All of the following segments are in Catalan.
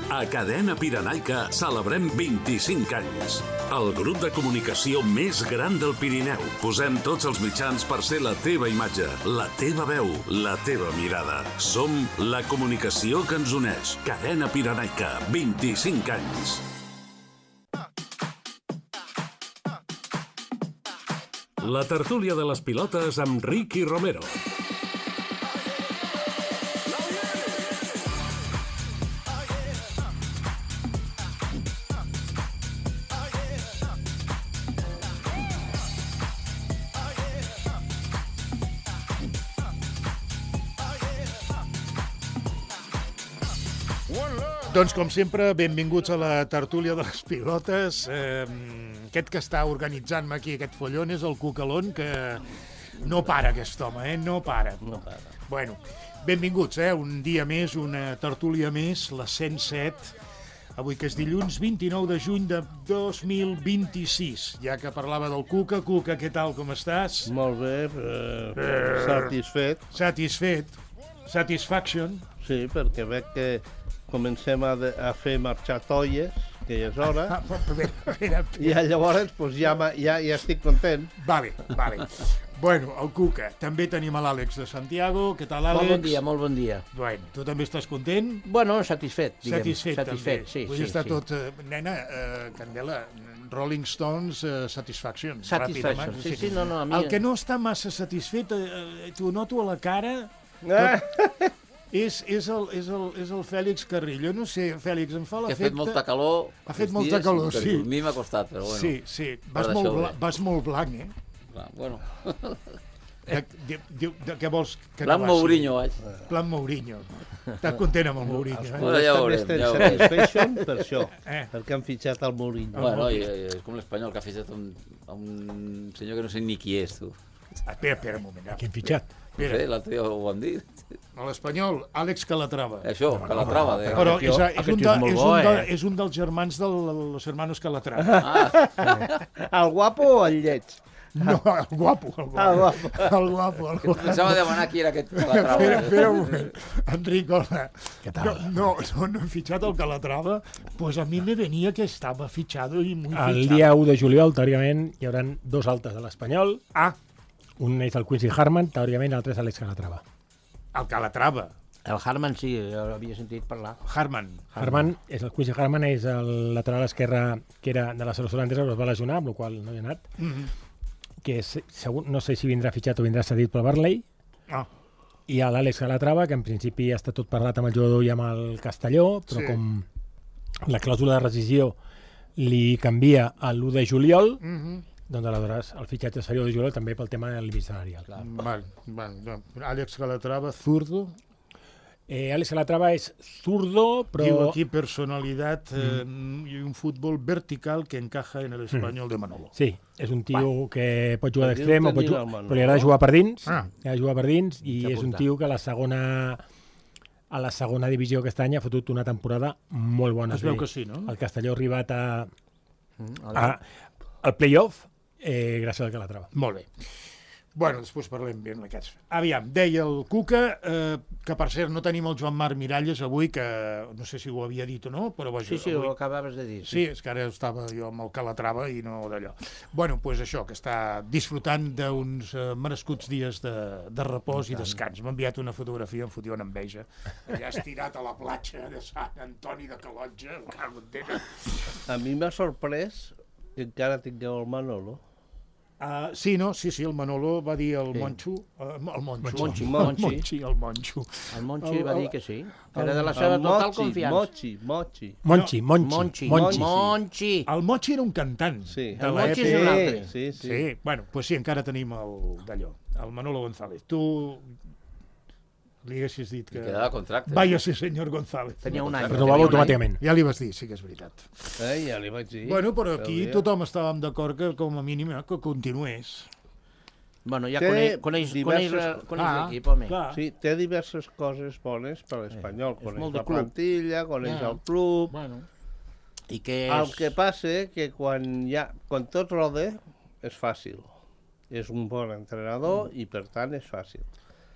A Cadena Pirenaica celebrem 25 anys. El grup de comunicació més gran del Pirineu. Posem tots els mitjans per ser la teva imatge, la teva veu, la teva mirada. Som la comunicació que ens uneix. Cadena Pirenaica, 25 anys. La tertúlia de les pilotes amb Ricky Romero. Doncs, com sempre, benvinguts a la tertúlia de les pilotes. Aquest que està organitzant-me aquí, aquest follon, és el Cucalón, que no para aquest home, no para. Bueno, benvinguts, un dia més, una tertúlia més, la 107, avui que és dilluns 29 de juny de 2026. Ja que parlava del Cuca, Cuca, què tal, com estàs? Molt bé, satisfet. Satisfet. Satisfaction. Sí, perquè veig que comencem a fer marxar tolles, que ja és hora, i llavors pues, ja estic content. Vale. Bueno, el Cuca. També tenim a l'Àlex de Santiago. Què tal, Àlex? Molt bon dia. Bueno, tu també estàs content? Bueno, satisfet, diguem. Satisfet, sí. Vull estar tot... Nena, Candela, Rolling Stones, Satisfaction. Satisfaction, sí, no, a mi... El que no està massa satisfet, t'ho noto a la cara... És el Fèlix Carrillo. No sé, Fèlix, em fa l'efecte... Que ha fet molta calor. Ha fet molta calor, sí. A mi m'ha costat, però bueno. Sí. Vas molt blanc, Bueno. Què vols que Plan Mourinho, vaig. Plan Mourinho. Estàs content amb el Mourinho, Bueno, ja veurem. Satisfaction per això, perquè han fitxat el Mourinho. Bueno, és com l'Espanyol, que ha fitxat un senyor que no sé ni qui és, tu. Espera un moment. Qui han fitxat? No sé, l'altre dia ho han dit. A l'Espanyol, Àlex Calatrava. Això, Calatrava. Però és un dels germans dels hermanos Calatrava. El guapo o el lleig? No, el guapo. El guapo. Pensava demanar qui era aquest Calatrava. Espera un moment. Enric, hola. Què tal? No he fitxat el Calatrava, pues a mi me venia que estava fitxado i muy fitxado. El dia 1 de juliol, teòricament, hi haurà dos altes de l'Espanyol. Un és el Quincy Harman, teòricament, l'altre és Àlex Calatrava. El Calatrava. El Harman, sí, jo l'havia sentit parlar. Harman, el Quincy Harman és el lateral esquerre que era de la selecció holandesa, però es va lesionar, amb la qual no hi ha anat. Que segur, no sé si vindrà fitxat o vindrà cedit pel Barley. I a l'Àlex Calatrava, que en principi està tot parlat amb el jugador i amb el Castelló, però com la clàusula de rescisió li canvia a l'1 de juliol, doncs aleshores el fitxatge seria de juliol també pel tema del límit salarial. Àlex Calatrava, zurdo. Àlex Calatrava és zurdo, però... Diu aquí personalitat i un futbol vertical que encaja en l'Espanyol de Manolo. Sí, és un tio que pot jugar d'extrem, però li agrada jugar per dins, i és un tio que a la segona divisió aquest any ha fotut una temporada molt bona. Es veu que sí, no? El Castelló ha arribat al play-off gràcies al Calatrava. Molt bé. Bueno, després parlem ben d'aquests. Aviam, deia el Cuca, que per cert no tenim el Joan Marc Miralles avui, que no sé si ho havia dit o no, però vaja... Sí, ho acabaves de dir. Sí, és que ara estava jo amb el Calatrava i no d'allò. Bueno, doncs això, que està disfrutant d'uns merescuts dies de repòs i descans. M'ha enviat una fotografia, em fotia una enveja. Allà estirat a la platja de Sant Antoni de Calotja, cago en tena. A mi m'ha sorprès que encara tingueu el Manolo. Sí, el Manolo va dir el Monxo. El Monxi va dir que sí, que era de la seva total confiança. Monchi. El Monchi era un cantant. Sí. El Monchi és un altre. Sí. Bueno, doncs sí, encara tenim d'allò, el Manolo González. Tu li haguessis dit que... Quedava contracte. Váyase, senyor González. Tenia un any. Renovava automàticament. Ja li vas dir, sí que és veritat. Ja li vaig dir. Bueno, però aquí tothom estàvem d'acord que com a mínim que continués. Bueno, ja coneix l'equip, home. Sí, té diverses coses bones per l'Espanyol. Coneix la plantilla, coneix el club... I que el que passa que quan tot roda és fàcil. És un bon entrenador i per tant és fàcil.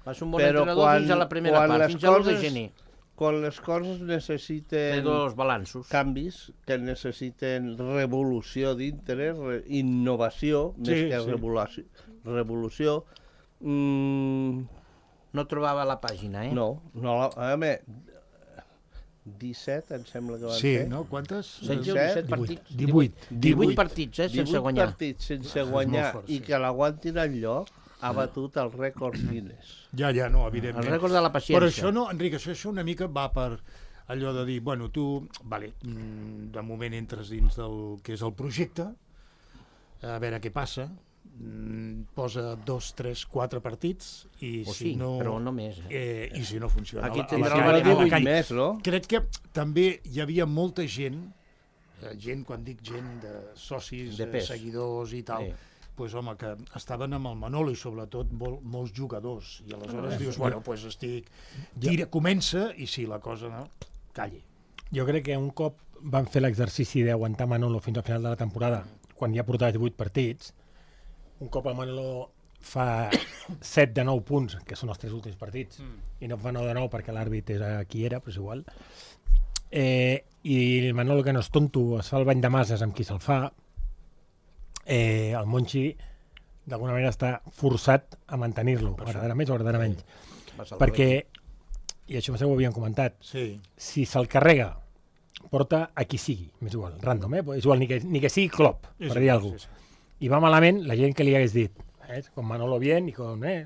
Va ser un bon entrenador fins a la primera part, fins a l'1 de gener. quan les coses necessiten... Té dos balanços. Canvis, que necessiten revolució dintre, innovació, més que revolució. No trobava la pàgina, No, a més, 17, em sembla que van ser. Sí, no? Quantes? 17 partits. 18 partits, sense guanyar. 18 partits sense guanyar i que l'aguantin enlloc ha batut el rècord Guinness. Ja, no, evidentment. El rècord de la paciència. Però això no, Enric, això una mica va per allò de dir, bueno, tu, de moment entres dins del que és el projecte, a veure què passa, posa 2, 3, 4 partits i si no... però no més. I si no funciona... Aquí tindrà més, no? Crec que també hi havia molta gent, quan dic gent de socis, seguidors i tal, pues, home, que estaven amb el Manolo i sobretot molts jugadors i aleshores dius, bueno, pues comença i si la cosa no, calli. Jo crec que un cop van fer l'exercici d'aguantar Manolo fins al final de la temporada, quan ja portava 18 partits, un cop el Manolo fa 7 de 9 punts, que són els 3 últims partits, i no fa 9 de 9 perquè l'àrbit era qui era, però és igual, i el Manolo, que no és tonto, es fa el bany de masses amb qui se'l fa, el Monchi d'alguna manera està forçat a mantenir-lo, agradarà més o agradarà menys, perquè, i això ho havíem comentat, si se'l carrega porta a qui sigui, m'és igual, random, és igual, ni que sigui Klopp, per dir alguna cosa. I va malament la gent que li hagués dit, con Manolo bien i con... I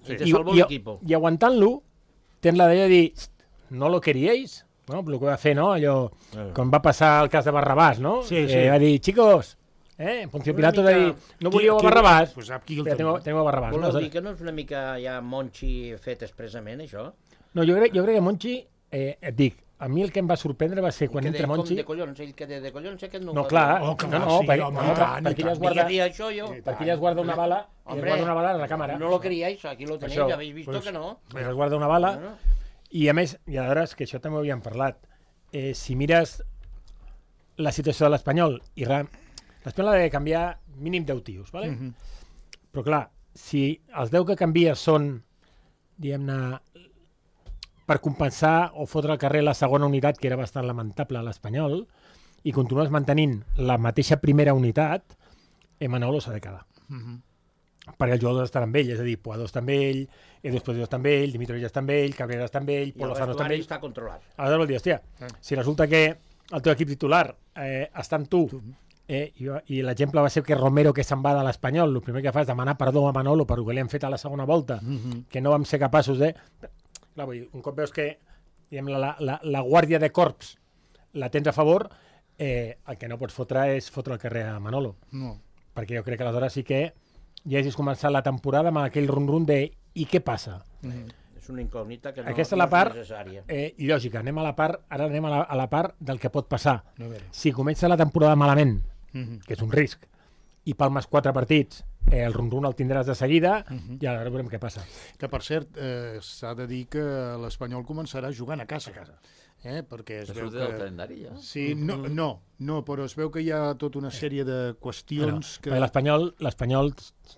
te salvo l'equipo. I aguantant-lo, tens la d'ella de dir, no lo queríais? Bueno, el que va fer, no? Allò, com va passar el cas de Barrabàs, no? Va dir, chicos, Poncio Pilato de dir, no volíeu a Barrabàs? Pues aquí tengo a Barrabàs. Voleu dir que no és una mica ja Monchi fet expressament, això? No, jo crec que Monchi, et dic, a mi el que em va sorprendre va ser quan entra Monchi... De collons, ell que de collons, aquest no... No, clar, perquè ella es guarda una bala, a la càmera. No lo queríais, aquí lo tenéis, ya habéis visto que no. Es guarda una bala, i a més, i aleshores, que això també ho havíem parlat, si mires la situació de l'Espanyol, i l'Espanyol ha de canviar mínim 10 tios, ¿vale? Però clar, si els 10 que canvia són, diguem-ne, per compensar o fotre al carrer la segona unitat, que era bastant lamentable a l'Espanyol, i continues mantenint la mateixa primera unitat, Manolo s'ha de quedar. Perquè els jugadors estan amb ell, és a dir, Puado està amb ell, Edu Esposito està amb ell, Dimitrovic està amb ell, Cabrera està amb ell, Pol Lozano està amb ell... I el vestuari està controlat. Aleshores vol dir, hòstia, si resulta que el teu equip titular està amb tu, i l'exemple va ser que Romero, que se'n va de l'Espanyol, el primer que fa és demanar perdó a Manolo per el que li han fet a la segona volta, que no vam ser capaços de... Clar, vull dir, un cop veus que la guàrdia de corps la tens a favor, el que no pots fotre és fotre al carrer a Manolo. No. Perquè jo crec que aleshores sí que ja hagis començat la temporada amb aquell rum-rum de i què passa? És una incògnita que no és necessària. Lògica, ara anem a la part del que pot passar. Si comença la temporada malament, que és un risc, i palmes 4 partits, el rum-rum el tindràs de seguida i ara veurem què passa. Que, per cert, s'ha de dir que l'Espanyol començarà jugant a casa. Perquè es veu que... del calendari, ja? Sí, no, però es veu que hi ha tota una sèrie de qüestions que... L'Espanyol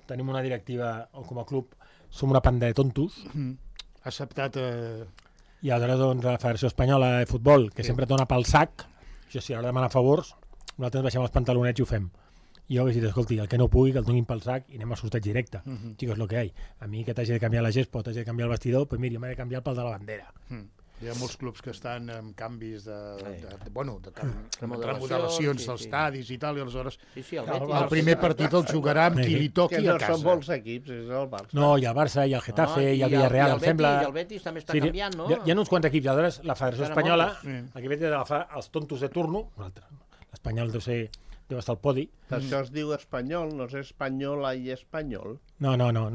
tenim una directiva, o com a club, som una panda de tontos. Ha acceptat... I aleshores, doncs, la Federació Espanyola de Futbol, que sempre dona pel sac, això sí, a l'hora de demanar favors, nosaltres baixem els pantalonets i ho fem. I jo vaig dir, escolti, el que no pugui, que el donin pel sac i anem a sorteig directe. Chicos, lo que hay. A mi que t'hagi de canviar la gespa o t'hagi de canviar el vestidor, pues mira, m'he de canviar el pal de la bandera. Hi ha molts clubs que estan amb canvis de remodelacions dels estadis i tal, i aleshores el primer partit el jugarà amb qui li toqui a casa. Que no són molts equips, és el Barça. No, hi ha el Barça, hi ha el Getafe, hi ha el Villarreal, em sembla... I el Betis també està canviant, no? Hi ha uns quants equips, i aleshores la Federació Espanyola, aquí ve d'agafar els tontos de turno, l'Espanyol deu estar al podi. Això es diu espanyol, no és espanyola i espanyol. No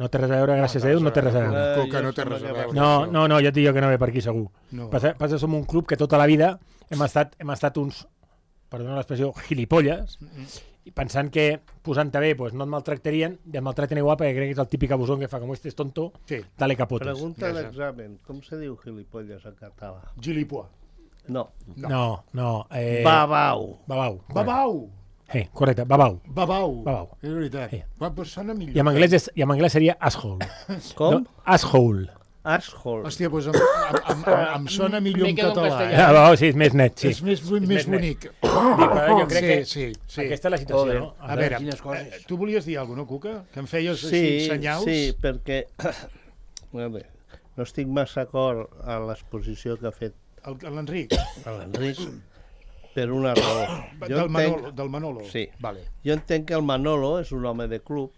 té res a veure, gràcies a Déu, no té res a veure. Coca no té res a veure. No, ja et dic jo que no ve per aquí, segur. Passa, som un club que tota la vida hem estat uns, perdona l'expressió, gilipolles, i pensant que posant-te bé no et maltractarien, i et maltracten igual perquè crec que és el típic abusón que fa, com este és tonto, dale capotes. Pregunta d'examen, com se diu gilipolles en català? Gilipois. No. Babau. Correcte, babau. És veritat. Sona millor. I en anglès seria asshole. Com? No, asshole. Asshole. Hòstia, doncs em sona millor en català. Sí, és més net, sí. És més bonic. Jo crec que sí. aquesta és la situació, no? A veure, tu volies dir alguna cosa, Cuca? Que em feies així senyals? Sí, perquè no estic massa d'acord amb l'exposició que ha fet l'Enric. L'Enric, per una raó. Del Manolo? Sí. Vale. Jo entenc que el Manolo és un home de club,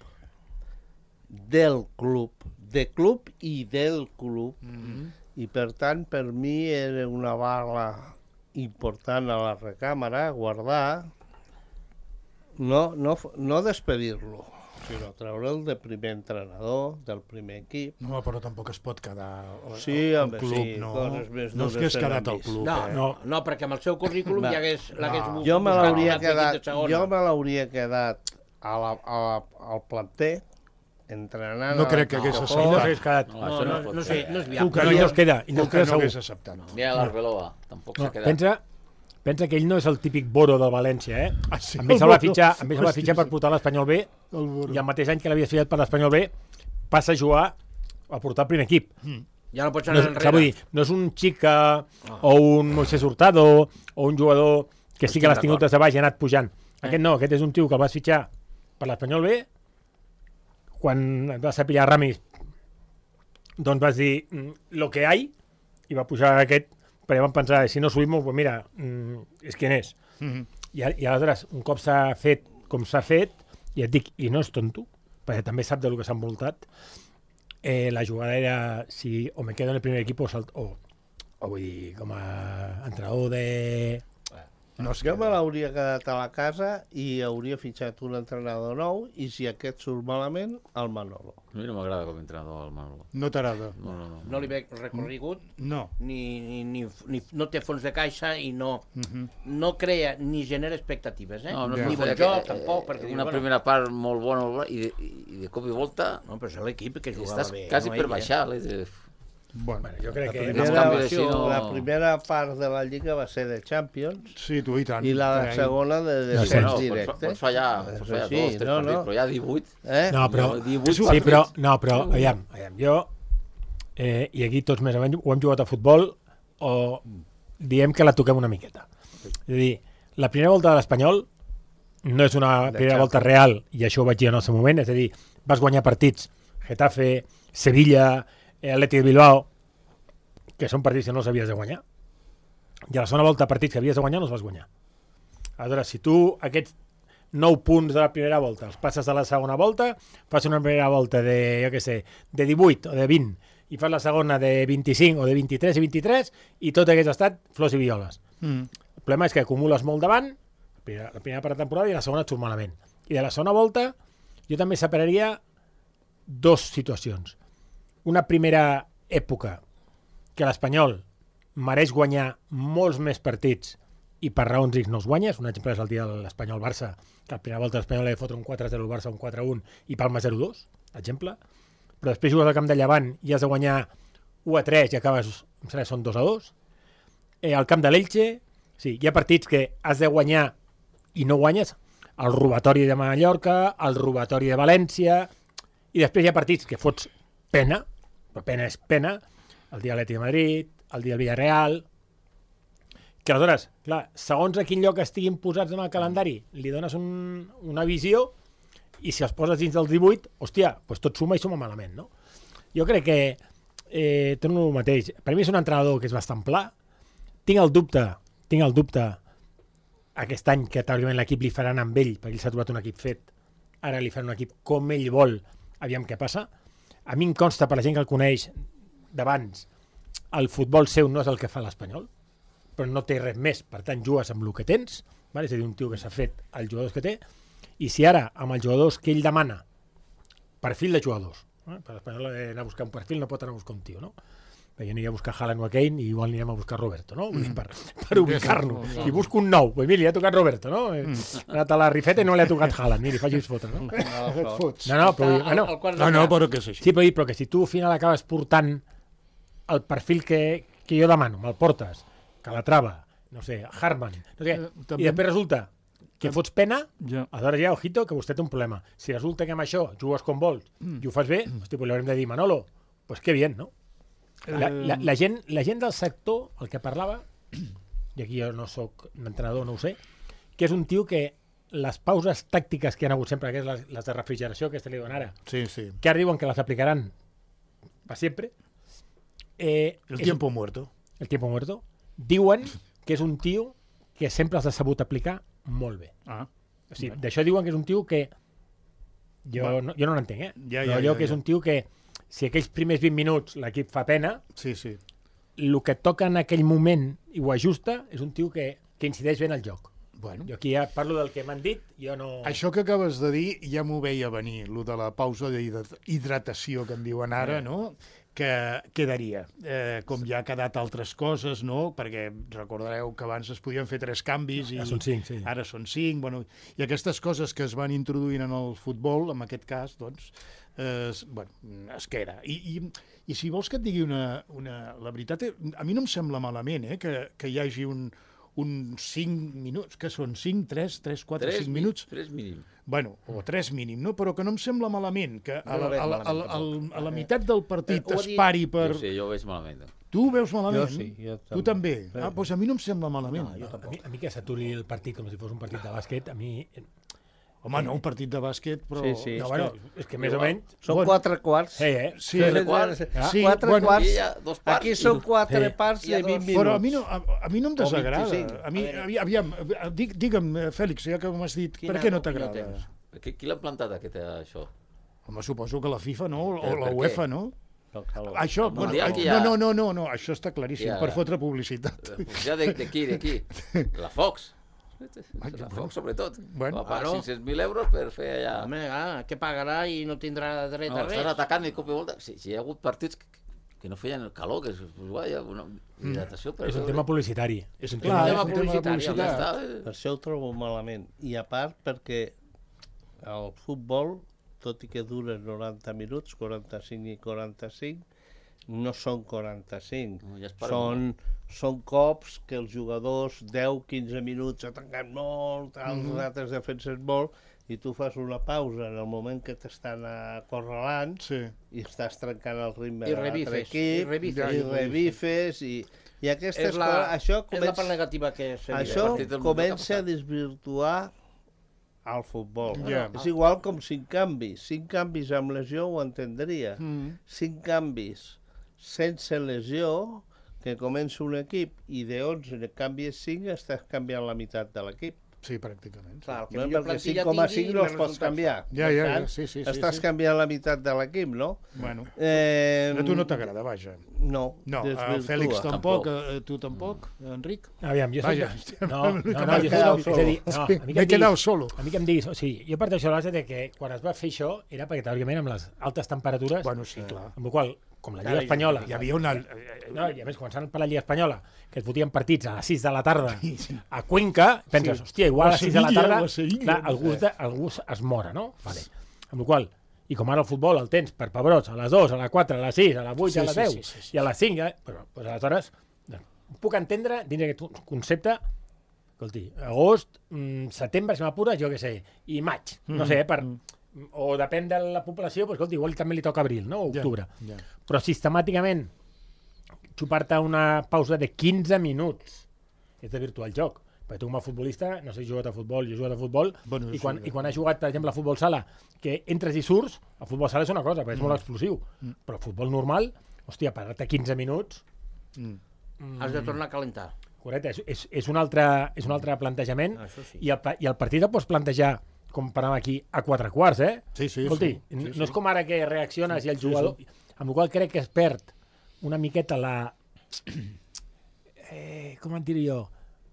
de club i del club, i per tant per mi era una bala important a la recàmera, guardar, no despedir-lo, sinó treure'l de primer entrenador, del primer equip. No, però tampoc es pot quedar al home, club, sí, no? coses més No és que has quedat al club. No, perquè amb el seu currículum ja l'hagués jo me l'hauria quedat al planter, entrenant... No crec que hagués acceptat. No sé, no és No viable. es queda, No hagués acceptat. Ni a l'Arbeloa, tampoc s'ha quedat. Pensa que ell no és el típic Boro del València, eh? Sí, Amb ell se'l va fitxar per portar l'Espanyol B, i el mateix any que l'havia fitxat per l'Espanyol B passa a jugar a portar el primer equip. Ja no pots anar enrere. Vull dir, no és un Chica o un Moisés Hurtado o un jugador que sí que l'has tingut des de baix i ha anat pujant. Aquest no, aquest és un tio que el vas fitxar per l'Espanyol B. Quan et vas saber Ramis, doncs vas dir lo que hay, i va pujar aquest, perquè vam pensar, si no subimos, pues mira, és quien és. I aleshores, un cop s'ha fet com s'ha fet, i et dic, i no és tonto, perquè també sap del que s'ha envoltat, la jugada era, si o me quedo en el primer equip o vull dir, com a entrenador de... Jo me l'hauria quedat a la casa i hauria fitxat un entrenador nou, i si aquest surt malament, el Manolo. A mi no m'agrada com a entrenador el Manolo. No t'agrada? No li veig recorregut, no té fons de caixa i no crea ni genera expectatives, No ni bon joc, tampoc. Una primera part molt bona i de cop i volta... No, però és l'equip que jugava bé. Estàs quasi per baixar. Bueno, jo crec que... La primera part de la Lliga va ser de Champions. Sí, tu i tant. I la segona de descens directe. Pots fallar 2 o 3 partits, però ja 18. No, però, aviam, jo, i aquí tots més o menys ho hem jugat a futbol, o diem que la toquem una miqueta. És a dir, la primera volta de l'Espanyol no és una primera volta real, i això ho vaig dir en el seu moment, és a dir, vas guanyar partits, Getafe, Sevilla, Atlètic de Bilbao, que són partits que no els havies de guanyar, i a la segona volta partits que havies de guanyar no els vas guanyar. Aleshores, si tu aquests 9 punts de la primera volta els passes a la segona volta, fas una primera volta de, jo què sé, de 18 o de 20, i fas la segona de 25 o de 23 i 23, i tot hagués estat flors i violes. El problema és que acumules molt davant, la primera part de temporada, i la segona et surt malament. I de la segona volta jo també separaria 2 situacions. Una primera època que l'Espanyol mereix guanyar molts més partits i per raons X no els guanyes. Un exemple és el dia de l'Espanyol-Barça, que a la primera volta l'Espanyol ha de fotre un 4-0 al Barça, un 4-1 i Palma 0-2, exemple. Però després jugues al camp de Llevant i has de guanyar 1-3 i acabes, em sembla, són 2-2. Al camp de l'Elche, sí, hi ha partits que has de guanyar i no guanyes. El robatori de Mallorca, el robatori de València, i després hi ha partits que fots pena, però pena és pena, el dia Atlètic de Madrid, el dia Villarreal, que aleshores, clar, segons a quin lloc estiguin posats en el calendari, li dones una visió, i si els poses dins dels 18, hòstia, doncs tot suma i suma malament, no? Jo crec que torno el mateix. Per mi és un entrenador que és bastant pla. Tinc el dubte aquest any que teòricament l'equip li faran amb ell, perquè ell s'ha trobat un equip fet, ara li faran un equip com ell vol, aviam què passa. A mi em consta, per la gent que el coneix d'abans, el futbol seu no és el que fa l'Espanyol, però no té res més, per tant jugues amb el que tens, és a dir, un tio que s'ha fet els jugadors que té, i si ara, amb els jugadors que ell demana, perfil de jugadors, per l'Espanyol anar a buscar un perfil no pot anar a buscar un tio, no? Jo aniria a buscar Haaland o a Kane i igual anirem a buscar Roberto, no? Per ubicar-nos. I busco un nou. Pues mira, li ha tocat Roberto, no? Ha anat a la rifeta i no li ha tocat Haaland. Mira, faci fotre, no? No, però que és així. Sí, però que si tu al final acabes portant el perfil que jo demano, me'l portes, Calatrava, no sé, Hartmann, no sé, i després resulta que fots pena, aleshores ja, ojito, que vostè té un problema. Si resulta que amb això jugues com vols i ho fas bé, hosti, pues li haurem de dir, Manolo, pues que bien, no? La gent del sector, el que parlava, i aquí jo no sóc entrenador, no ho sé, que és un tio que les pauses tàctiques que hi ha hagut sempre, que és les de refrigeració, que li diuen ara, Sí. que ara diuen que les aplicaran per sempre. El tiempo muerto. El tiempo muerto. Diuen que és un tio que sempre els ha sabut aplicar molt bé. O sigui, d'això diuen que és un tio que jo no l'entenc, però allò que és un tio que si aquells primers 20 minuts l'equip fa pena, Sí. el que toca en aquell moment i ho ajusta és un tio que incideix bé en el joc. Bueno. Jo aquí ja parlo del que m'han dit, jo no... Això que acabes de dir ja m'ho veia venir, lo de la pausa d'hidratació que en diuen ara, no? Que quedaria. Com ja ha quedat altres coses, no? Perquè recordareu que abans es podien fer 3 canvis i Ara són 5, sí. Ara són 5, bueno, i aquestes coses que es van introduint en el futbol, en aquest cas, doncs, es queda. I si vols que et digui la veritat, a mi no em sembla malament que hi hagi un 5 minuts, que són 5, 3, 4, 5 minuts. 3 mínim. Bueno, o 3 mínim, no? Però que no em sembla malament que No ho veig malament, a la meitat del partit ho ha es dit- pari per... Jo ho veig malament. Tu ho veus malament? Jo sí, jo Tu també? Doncs a mi no em sembla malament. A mi que s'aturi el partit com si fos un partit de bàsquet, a mi... Home, no, un partit de bàsquet, però... Sí. No, bueno, és que més o menys... Són Bueno. 4 quarts. Sí, Sí, 4 bueno, quarts. Aquí hi ha 2 parts. Aquí són 4 Sí. parts Hi ha de 20 dos. minuts. però a mi no em desagrada. 25. A mi, aviam, digue'm, Fèlix, ja que m'has dit, per què no t'agrada? Qui l'ha plantat això? Home, suposo que la FIFA, no? O Per la què? UEFA, no? No, calor. Això, Mundial que hi ha- no, això està claríssim, Ja. per fotre publicitat. Ja de qui? La Fox. La Fox, sobretot. Bueno, Va pagar claro. 500.000 euros per fer allà... Home, què pagarà i no tindrà dret No, a estan res? atacant i cop i volta. Si hi ha hagut partits que no feien el calor, que és guai, una hidratació... és un tema publicitari. És un Clar, tema... és un tema de Ja publicitat. està. Per això ho trobo malament. I a part perquè el futbol, tot i que dura 90 minuts, 45 i 45, no són 45. No, ja es paren Són cops que els jugadors 10-15 minuts ataquen molt, els altres defensen molt, i tu fas una pausa en el moment que t'estan acorralant Sí. i estàs trencant el ritme I de l'altre revifes, equip, i revifes. i revifes, i aquestes És la, coses... Això és la part negativa que se li això partit del comença Mundial a desvirtuar el futbol. Ja. És igual com 5 canvis. 5 canvis amb lesió ho entendria. 5 canvis sense lesió, que comença un equip i de 11 ne canvies 5, estàs canviant la meitat de l'equip. Sí, pràcticament. Sí. Clar, el que No? millor Perquè plantilla 5,5 tingui, no més els pots resultats canviar. Ja, Per ja, tant, sí, estàs canviant la meitat de l'equip, no? Bueno, Eh, a tu no t'agrada, vaja. No, No, a desvirtua. Fèlix tampoc, Tampoc. tu tampoc, Enric? Aviam, jo Vaja, No, jo m'he soc... quedat És a dir, no, a mi que m'he em quedat diguis- solo. A mi que em diguis... O sigui, jo parteixo de la base de que quan es va fer això era perquè, teòricament, amb les altes temperatures, Bueno, sí, clar. amb la qual com la Lliga Espanyola... Hi havia una... No, i a més, començant per la Lliga Espanyola, que es fotien partits a les 6 de la tarda a Cuenca, penses, Sí. hòstia, igual a O les 6 de la Sevilla, tarda, o Sevilla. clar, algú es mora, no? Vale. Amb la qual i com ara el futbol el tens per pebrots a les 2, a les 4, a les 6, a les 8, Sí, a les sí, 10 sí. i a les 5, però doncs, aleshores puc entendre dins d'aquest concepte, escolti, agost, setembre, si m'apures, jo què sé, i maig, no sé, o depèn de la població, doncs, escolti, igual també li toca abril, no? O octubre. Ja. Però sistemàticament xupar-te una pausa de 15 minuts és de virtual joc. Perquè tu com a futbolista, no sé, he jugat a futbol, jo he jugat a futbol, Bueno, i quan, sí, i quan has jugat, per exemple, a futbol sala, que entres i surts, el futbol sala és una cosa, perquè és molt explosiu, però el futbol normal, hòstia, parar-te 15 minuts, Has de tornar a calentar. correcte, és un altre plantejament, Això sí. i el partit el pots plantejar, com parlàvem aquí, a 4 quarts, eh? Sí, sí, Escolti, sí, sí, no és com ara que reacciones i el jugador... Amb la qual crec que es perd una miqueta la... com en diré jo?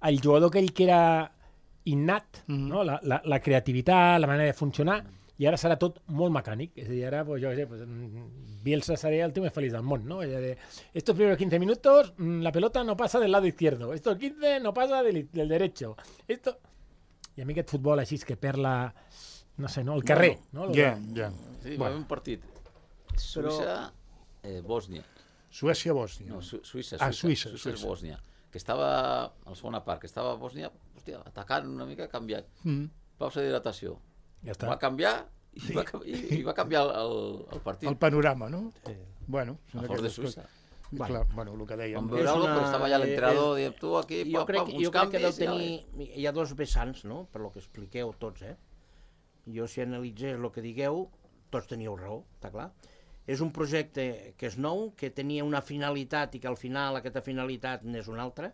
El jugador aquell que era innat, no? La creativitat, la manera de funcionar, i ara serà tot molt mecànic. És a dir, ara, pues, jo què sé, pues, Bielsa seria el tío més feliç del món, no? Estos primeros 15 minutos, la pelota no pasa del lado izquierdo. Estos 15 no pasa del derecho. Esto... I a mi aquest futbol així que perd la... No sé, no? El carrer. No? Ja, ja. Sí, va haver un partit. Suïssa, Bòsnia. Suècia-Bòsnia. No, Suïssa. Suïssa. Bòsnia. Que estava, a la segona part, que estava a Bòsnia, hòstia, atacant una mica, canviat. Pausa d'hidratació. Ja està. Va canviar i va canviar el partit. El panorama, no? Sí. Bueno, són A favor de aquestes Suïssa. coses. Clar, bueno, el que dèiem. Vam veure alguna cosa, però estava allà l'entrenador, diem, tu aquí, jo crec que deu canvis... tenir... Hi ha dos vessants, no?, per lo que expliqueu tots, Jo, si analitzés el que digueu, tots teníeu raó, està clar. És un projecte que és nou, que tenia una finalitat i que al final aquesta finalitat n'és una altra,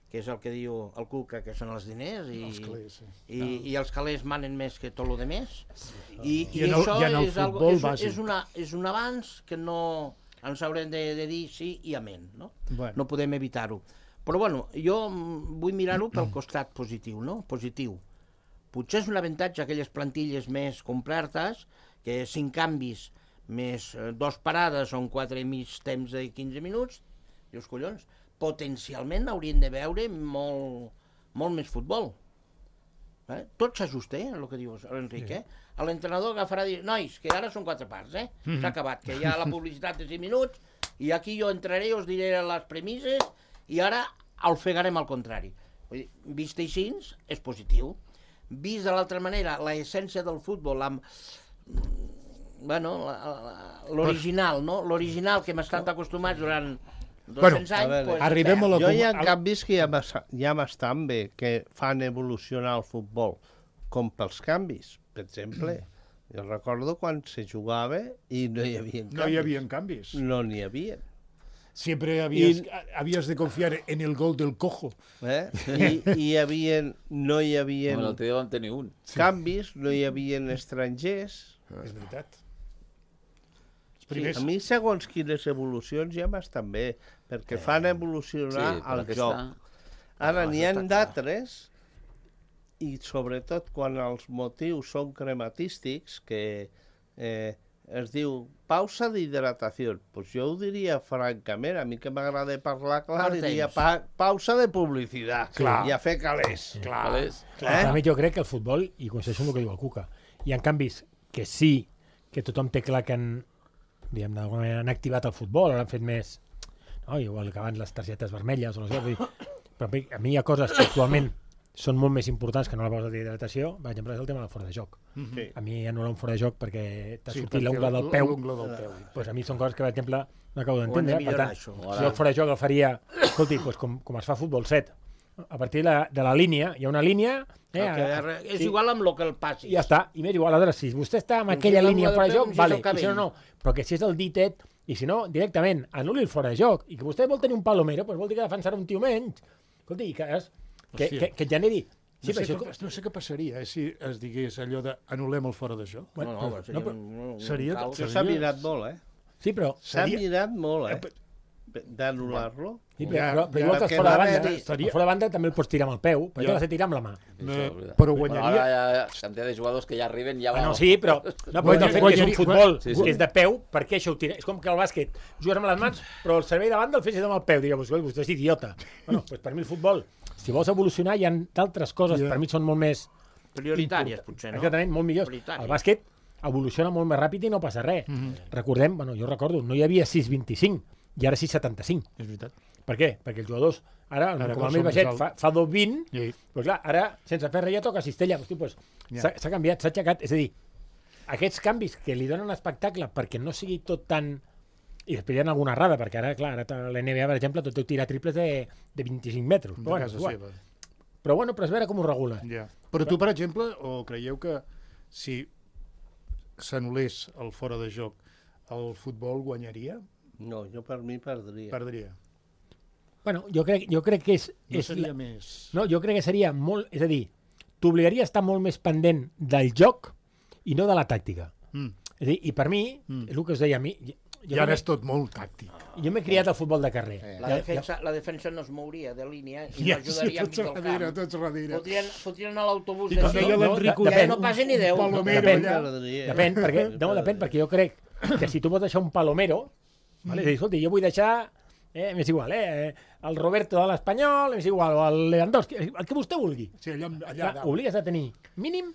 que és el que diu el Cuca, que són els diners, i els calés manen més que tot el de més. I això és un avanç que no ens haurem de dir sí i amén, no? No podem evitar-ho. Però bueno, jo vull mirar-ho pel costat positiu, no? Positiu. Potser és un avantatge aquelles plantilles més complertes, que 5 canvis més 2 parades són 4 i mig temps de 15 minuts, dius, collons, potencialment haurien de veure molt més futbol. Tot s'ajusta, el que dius, l'Enric. L'entrenador agafarà i dir, nois, que ara són 4 parts, s'ha acabat, que hi ha la publicitat de 5 minuts, i aquí jo entraré, us diré les premisses, i ara ofegarem al contrari. Vist així, és positiu. Vist de l'altra manera, l'essència del futbol, l'original, no? L'original que hem estat acostumats durant 200 anys... Arribem a la... Jo hi ha canvis que ja m'estan bé, que fan evolucionar el futbol, com pels canvis. Per exemple, jo recordo quan se jugava i no hi havia canvis. No hi havia canvis. No n'hi havia. Siempre habías de confiar en el gol del cojo. No hi havia L'altre dia vam tenir un. canvis, no hi havia estrangers. És veritat. Sí, a mi, segons quines evolucions, ja m'estan bé, perquè fan evolucionar el joc. Ara n'hi ha d'altres, i sobretot quan els motius són crematístics, que es diu pausa d'hidratació. Pues jo ho diria francament, a mi que m'agrada parlar clar, diria pausa de publicitat i a fer calés. A mi jo crec que el futbol, i coincideixo amb el que diu el Cuca, hi ha canvis que sí, que tothom té clar que d'alguna manera han activat el futbol, l'han fet més, igual que abans les targetes vermelles, però a mi hi ha coses que actualment són molt més importants que no la pausa d'hidratació. Per exemple, és el tema del fora de joc. A mi anul·lar un fora de joc perquè t'ha sortit l'ungla del peu. A mi són coses que, per exemple, no acabo d'entendre. Per tant, jo el fora de joc el faria, escolti, com es fa a futbol 7, a partir de la línia, hi ha una línia... És igual amb el que el passi. Ja està, i m'és igual. Aleshores, si vostè està en aquella línia fora de joc, vale, i si no, però que si és el ditet, i si no, directament, anul·li el fora de joc, i que vostè vol tenir un palomero, doncs vol dir que defensarà un tio menys. Escolti, que et generi... No sé què passaria si es digués allò de anul·lem el fora de joc. Seria... S'ha mirat molt, Sí, però... S'ha mirat molt, d'anul·lar-lo. Sí, però igual que fora de banda també el pots tirar amb el peu, perquè l'has de tirar amb la mà. Però guanyaria... Ara hi ha quantitat de jugadors que ja arriben ja... Sí, però de fet que és un futbol que és de peu, per què això ho tira? És com que el bàsquet jugues amb les mans, però el servei de banda el fessis amb el peu. Digueu, vostè és idiota. Per mi el futbol, si vols evolucionar, hi ha d'altres coses, per mi són molt més... prioritàries, potser, no? Exactament, molt millors. El bàsquet evoluciona molt més ràpid i no passa res. Recordem, jo recordo, no hi havia 6,25 i ara 6,75. És veritat. Per què? Perquè els jugadors, ara com el més baixet, fa 2,20, doncs clar, ara, sense fer res, ja toca cistella. S'ha canviat, s'ha aixecat. És a dir, aquests canvis que li donen espectacle perquè no sigui tot tan... I després hi ha alguna errada, perquè ara, clar, l'NBA, per exemple, tot deu tirar triples de 25 metres. De casa seva. Però és veure com ho regula. Però tu, per exemple, o creieu que si s'anul·lés el fora de joc, el futbol guanyaria? No, jo per mi perdria. Bueno, jo crec que és... No seria més... No, jo crec que seria molt... És a dir, t'obligaria a estar molt més pendent del joc i no de la tàctica. És a dir, i per mi, és el que us deia a mi... I ara és tot molt tàctic. Jo m'he criat al futbol de carrer. La defensa no es mouria de línia i no ajudaria a mig del camp. Tots darrere. Fotrien a l'autobús de joc. No passa ni 10. Depèn, perquè jo crec que si tu pots deixar un palomero, és a dir, escolti, jo vull deixar... m'és igual, el Roberto de l'Espanyol, m'és igual, o el Lewandowski, el que vostè vulgui. Sí, allà obligues a tenir mínim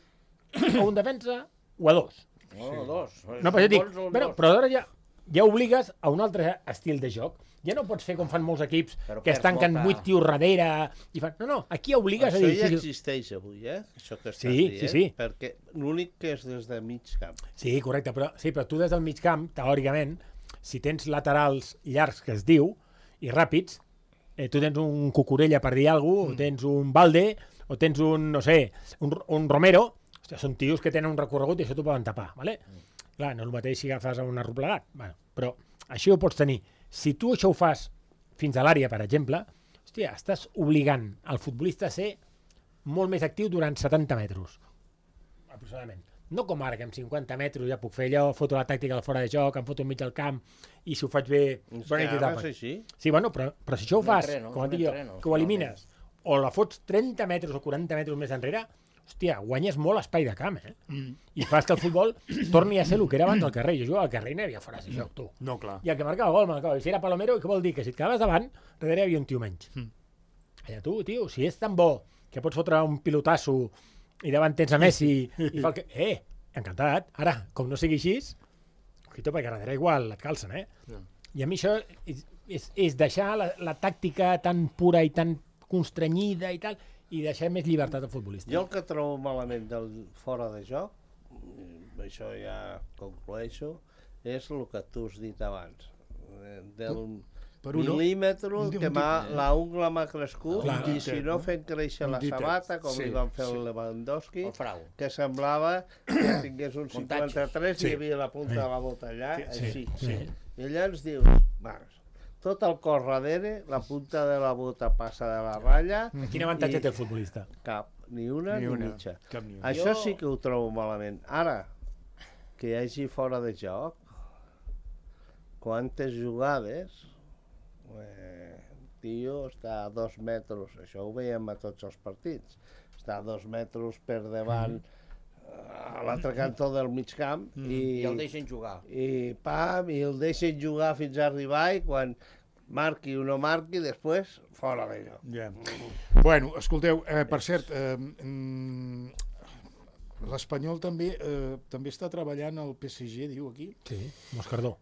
o un defensa o a dos. No, dos. No, però jo dic, però ara ja obligues a un altre estil de joc. Ja no pots fer com fan molts equips que es tanquen 8 tios darrere i fan... No, aquí obligues a dir... Això ja existeix avui, Això que estàs dient. Sí. Perquè l'únic que és des de mig camp. Sí, correcte, però tu des del mig camp, teòricament, si tens laterals llargs, que es diu, i ràpids, tu tens un Cucurella, per dir alguna cosa, o tens un Balde, o tens un, no sé, un Romero, hòstia, són tios que tenen un recorregut i això t'ho poden tapar, ¿vale? Clar, no és el mateix si agafes un arroplegat, bueno, però això ho pots tenir. Si tu això ho fas fins a l'àrea, per exemple, hòstia, estàs obligant el futbolista a ser molt més actiu durant 70 metres, aproximadament. No com ara, que amb 50 metres ja puc fer allò, foto la tàctica del fora de joc, em foto enmig del camp, i si ho faig bé... Sí, bueno, però si això ho fas, com et dic jo, que ho elimines, o la fots 30 metres o 40 metres més enrere, hòstia, guanyes molt espai de camp, I fas que el futbol torni a ser el que era abans al carrer. Jo jugava al carrer i no hi havia fora de joc, tu. No, clar. I el que marcava el gol, marcava. I si era Palomero, què vol dir? Que si et quedaves davant, darrere hi havia un tio menys. Allà tu, tio, si és tan bo que pots fotre un pilotasso i davant tens a Messi i fa el que... encantat. Ara, com no sigui així, ojito, perquè darrere igual et calcen, I a mi això és deixar la tàctica tan pura i tan constrenyida i tal, i deixar més llibertat al futbolista. Jo el que trobo malament del fora de joc, això ja conclueixo, és el que tu has dit abans, del mil·límetre que l'ungla m'ha crescut i si no fent créixer la sabata, com li van fer el Lewandowski, que semblava que tingués un 53 i hi havia la punta de la bota allà, així. I allà ens dius, tot el cor darrere, la punta de la bota passa de la ratlla... Quin avantatge té el futbolista? Cap, ni una ni mitja. Això sí que ho trobo malament. Ara, que hi hagi fora de joc, quantes jugades, tio està a 2 metres, això ho veiem a tots els partits, està a 2 metres per davant a l'altre cantó del mig camp i el deixen jugar i el deixen jugar fins a arribar i quan marqui o no marqui després fora d'allò. Bueno, escolteu, per cert, l'Espanyol també està treballant al PSG, diu aquí. Sí, Moscardó.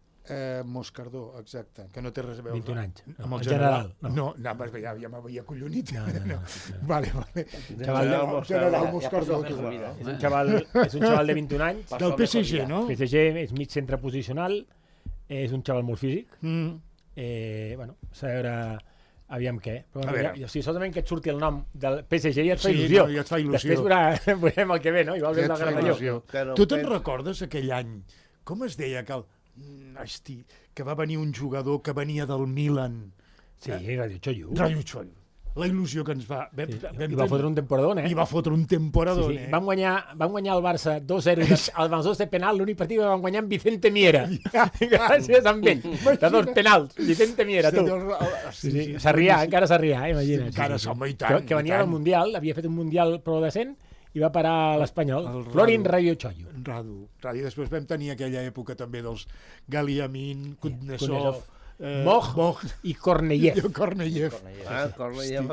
Moscardó, exacte, que no té res a veure 21 anys, amb el general. No, ja m'havia collonit. Vale. General Moscardó. És un xaval de 21 anys. Del PSG, no? PSG és mig centre posicional, és un xaval molt físic. Bueno, a veure... Aviam què. Si solament que et surti el nom del PSG ja et fa il·lusió. Sí, ja et fa il·lusió. Després veurem el que ve, no? Igual ve el Granelló. Tu te'n recordes aquell any? Com es deia que que va venir un jugador que venia del Milan? Sí, Radio Chollo. La il·lusió que ens va... I va fotre un temporadón, I va fotre un temporadón, Van guanyar el Barça 2-0 als 2 de penal, l'únic partit que van guanyar amb Vicente Miera. Gràcies a ell. De 2 penals, Vicente Miera, tu. Encara s'arrià, imagina't. Encara som, i tant. Que venia del Mundial, havia fet un Mundial prou decent, i va parar a l'Espanyol. Florin Radio Chollo. Radu. I després vam tenir aquella època també dels Galiamin, Kudnesov, Moch i Korneyev. Korneyev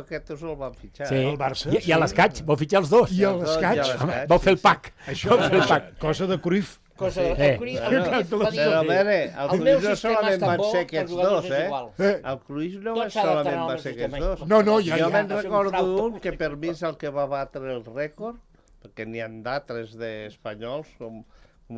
aquests el van fitxar. El Barça. I a l'Escaig, vau fitxar els dos. I a l'Escaig. Vau fer el pack. Cosa de Cruyff. Però a veure, el Cruyff no solament van ser aquests dos, El Cruyff no solament va ser aquests dos. Jo me'n recordo un que per mi és el que va batre el rècord, perquè n'hi ha d'altres d'espanyols, com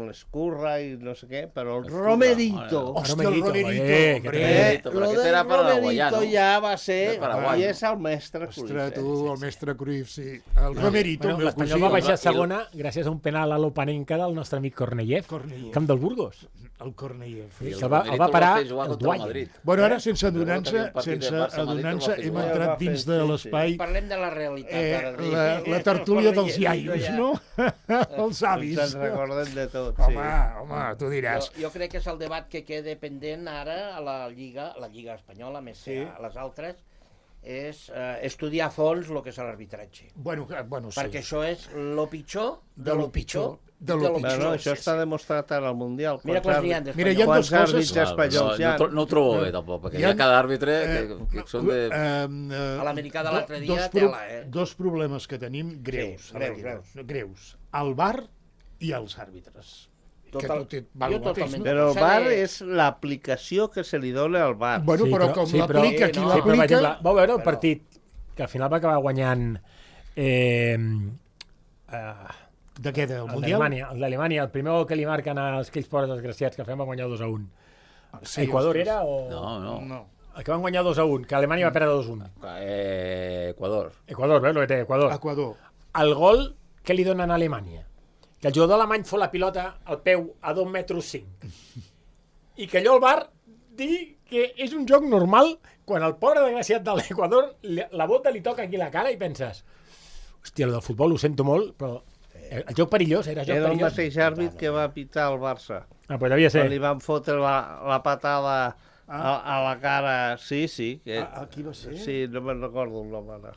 l'Escurra i no sé què, però el Romerito. Hòstia, el Romerito. Lo del Romerito ja va ser, i és el mestre Cruyff. Ostres, tu, el mestre Cruyff, sí. El Romerito. L'Espanyol va baixar segona gràcies a un penal a l'Opanenca del nostre amic Korneyev, camp del Burgos. El Korneyev. El va parar el Duany. Bueno, ara, sense adonar-se, hem entrat dins de l'espai... Parlem de la realitat. La tertúlia dels iaios, no? Els avis. Se'n recorden de tot. Home, tu diràs. Jo crec que és el debat que queda pendent ara a la Lliga Espanyola, més que a les altres, és estudiar a fons el que és l'arbitratge. Bueno, sí. Perquè això és lo pitjor de lo pitjor. Això està demostrat ara al Mundial. Mira quants n'hi ha d'espanyols. Mira, hi ha dues coses... No ho trobo bé, tampoc, perquè hi ha cada àrbitre que són de... A l'americà de l'altre dia, tela, Dos problemes que tenim greus. El VAR i els àrbitres. Però el VAR és l'aplicació que se li dona al VAR. Bueno, però com l'aplica qui l'aplica... Vau veure el partit que al final va acabar guanyant... De què, del Mundial? D'Alemanya. El primer gol que li marquen als aquells pobres desgraciats que fem va guanyar 2-1. Sí, Equador ostres. era o...? No. El que van guanyar 2-1, que Alemanya va perdre 2-1. Equador. Equador, veus el que té Equador? Equador. El gol que li donen a Alemanya. Que el jugador alemany fot la pilota al peu a 2,5 metres. I que allò el VAR digui que és un joc normal quan el pobre desgraciat de l'Equador la bota li toca aquí la cara i penses hòstia, el del futbol ho sento molt, però el joc perillós, era joc Era el perillós. mateix àrbit que va pitar el Barça. Ah, pues devia ser. Quan li van fotre la patada a la cara. Sí. Que... Qui va ser? Sí, no me'n recordo el nom ara.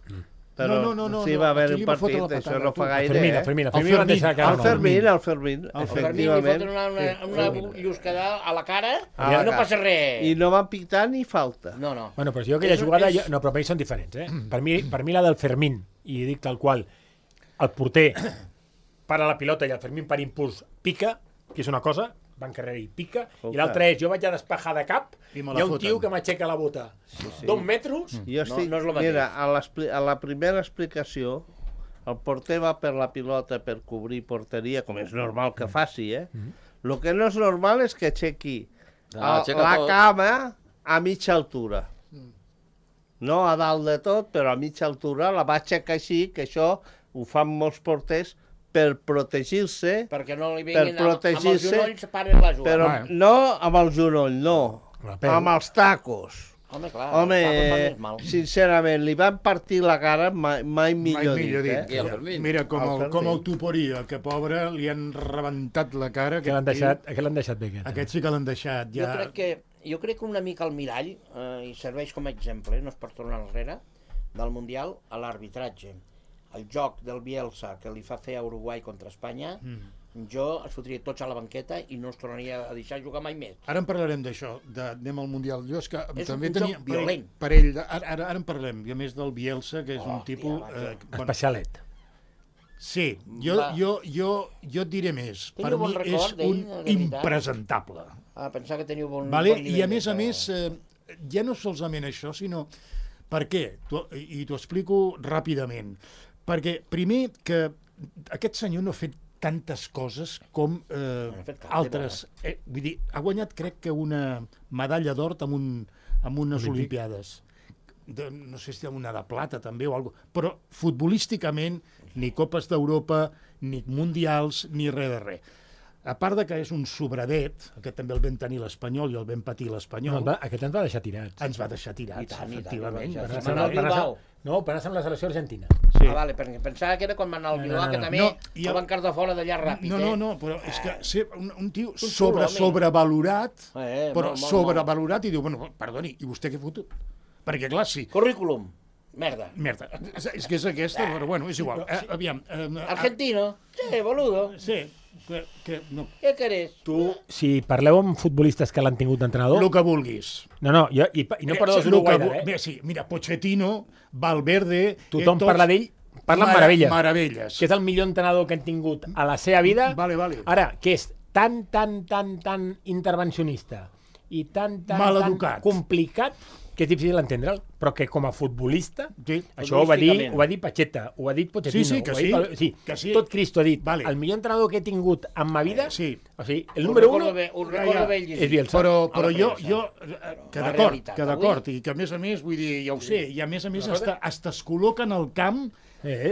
Però No, sí, va haver aquí un li va fotre partit, la això patada, no tu. fa gaire, Fermín, eh? van deixar que... El Fermín, El Fermín li efectivament. foten una lluscada a la cara A i la no cara. passa res. I no van pitar ni falta. No. Bueno, però jo aquella jugada... No, però per mi són diferents, eh? Per mi la del Fermín, i dic tal qual, el porter para la pilota i el Fermín per impuls pica, que és una cosa, va encarrer i pica, i l'altra és, jo vaig a despejar de cap, I hi me la ha un foten. tio que m'aixeca la bota 2 metres, Jo estic... no és lo mateix. Mira, a la primera explicació, el porter va per la pilota per cobrir porteria, com és normal que faci, eh? El que no és normal és que aixequi Aixeca la tot. cama a mitja altura. No a dalt de tot, però a mitja altura la va aixecar així, que això ho fan molts porters per protegir-se, Perquè no li vinguin amb els protegir-se, genolls, paren la jugada. però no amb el genoll, no, Amb el peu. amb els tacos. Home, clar, Home, els tacos fan més mal. sincerament, li van partir la cara mai millor dit, I eh? el Fermín. Mira, com El el Fermín. Tuporia, que pobre, li han rebentat la cara. que l'han deixat bé, aquest. Aquest sí que l'han deixat. Ja... Jo crec que una mica el mirall, i serveix com a exemple, no és per tornar enrere, del Mundial a l'arbitratge. El joc del Bielsa que li fa fer a Uruguai contra Espanya, jo es fotria tots a la banqueta i no els tornaria a deixar jugar mai més. Ara en parlarem d'això, anem al Mundial. Jo és que És també un tenia joc violent. parell ara en parlem, i a més del Bielsa, que és un tipus... Especialet. Sí, Va. jo et diré més. Teniu Per bon mi és record d'ell, un de veritat? impresentable. Pensar que teniu bon Vale? bon I nivell. a més, ja no solament això, sinó... Per què? I t'ho explico ràpidament. Perquè, primer, que aquest senyor no ha fet tantes coses com ha fet cap, altres. Vull dir, ha guanyat, crec que, una medalla d'or amb unes Olimpiades. No sé si una de plata, també, o alguna cosa. Però, futbolísticament, ni Copes d'Europa, ni Mundials, ni res de res. A part de que és un sobradet, aquest també el vam tenir l'Espanyol i el vam patir l'Espanyol, Aquest ens va deixar tirats. ens va deixar tirats, I tant, efectivament. ja Va està. anar- Bilbao. No, per anar amb la selecció argentina. Sí. Vale, perquè pensava que era quan va anar al Bilbao, que també No, i el van cardar fora d'allà ràpid, No, però és que ser un tio xulo, home. sobrevalorat, però molt. sobrevalorat, i diu, bueno, perdoni, i vostè què ha fotut? Perquè, clar, sí, Currículum. Merda. merda, és que és aquesta, però bueno, és igual. Aviam. Argentino. Sí, boludo. Sí, no, Què querés? Tu, si parleu amb futbolistes que l'han tingut d'entrenador... el que vulguis. No, i no per dos Uruguai, eh? Sí, mira, Pochettino, Valverde... Tothom tots- parla d'ell, parla amb meravelles. Meravelles. Que és el millor entrenador que han tingut a la seva vida. Vale. Ara, que és tan intervencionista i tan Maleducat. complicat que és difícil entendre'l, però que com a futbolista, Sí. això ho va dir Pacheta, ho ha dit Pochettino, Sí, que ho ha dit, sí, que sí. tot Cristo ha dit, Vale. el millor entrenador que he tingut en ma vida, Sí. o sigui, el número 1 Ho recordo bé és Bielsa. Però A la jo, premsa. que La d'acord, realitat, i que a més, vull dir, ja ho sé, i a més hasta es col·loca en el camp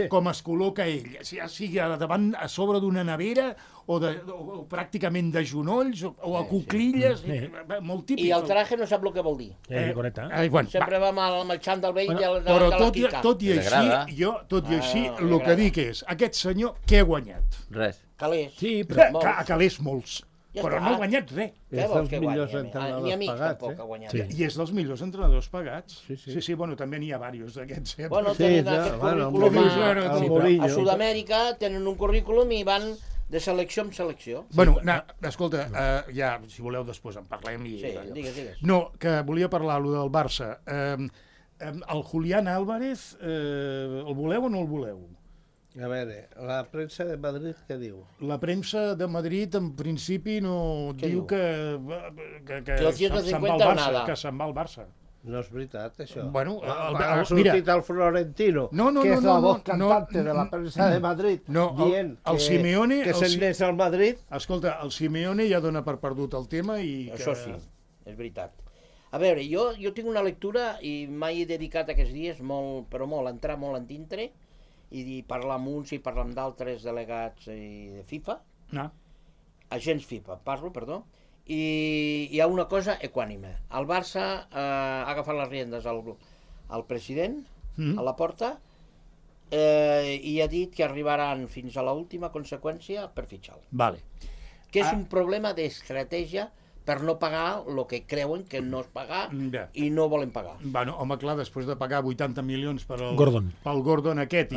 com es col·loca ell, sigui davant, a sobre d'una nevera o pràcticament de genolls o a cuclilles, molt típic. I el traje no sap el que vol dir. correcte. Bueno, Sempre va amb el xandall vell de la però Kika. tot i així, el que dic és, aquest senyor, què ha guanyat? Res. Calés. Sí, però... A calés molts, Ja però està. no ha guanyat res. Què És vols dels que millors guanyi? entrenadors Ni amics pagats, tampoc ha guanyat. Sí. I és dels millors entrenadors pagats. Sí. Sí, bueno, també n'hi ha diversos d'aquests. Bueno, Sí, tenen ja, aquest bueno, currículum el a Mourinho. Sud-amèrica, tenen un currículum i van de selecció en selecció. Bueno, escolta, ja, si voleu, després en parlem. Sí, digues. No, que volia parlar, allò del Barça. El Julián Álvarez, el voleu o no el voleu? A veure, la premsa de Madrid què diu? La premsa de Madrid, en principi, no Què diu diu? que los 150 o nada. que se'n va al Barça. No és veritat, això. Bueno, ha sortit el Florentino, que és la voz cantante de la premsa de Madrid, dient el Simeone... que se'n n'és al Madrid. Escolta, el Simeone ja dona per perdut el tema i que... Això sí. és veritat. A veure, jo tinc una lectura i mai he dedicat aquests dies però molt, entrar molt en dintre i parlar amb uns i parlar amb d'altres delegats de FIFA, agents FIFA, perdó, i hi ha una cosa equànime. El Barça ha agafat les riendes al president a la porta i ha dit que arribaran fins a l'última conseqüència per fitxar-lo. Vale. Que és un problema d'estratègia per no pagar el que creuen que no es pagar i no volen pagar. Bueno, home, clar, després de pagar 80 milions pel Gordon aquest,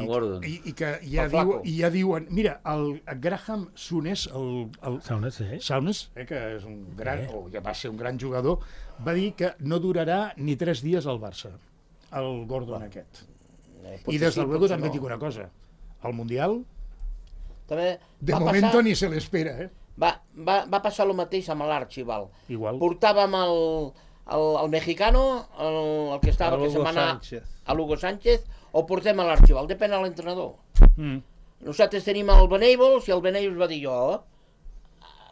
i que ja diuen... Mira, el Graham Souness, Souness, que és un gran, que va ser un gran jugador, va dir que no durarà ni 3 dies al Barça, el Gordon aquest. I des del luego també dic una cosa, el Mundial, de moment ni se l'espera, Va passar el mateix amb l'Archibald. Igual. Portàvem el mexicano, el que estava, que se'n va anar a Hugo Sánchez, o portem a l'Archibald, depèn de l'entrenador. Nosaltres tenim el Benables i el Benables va dir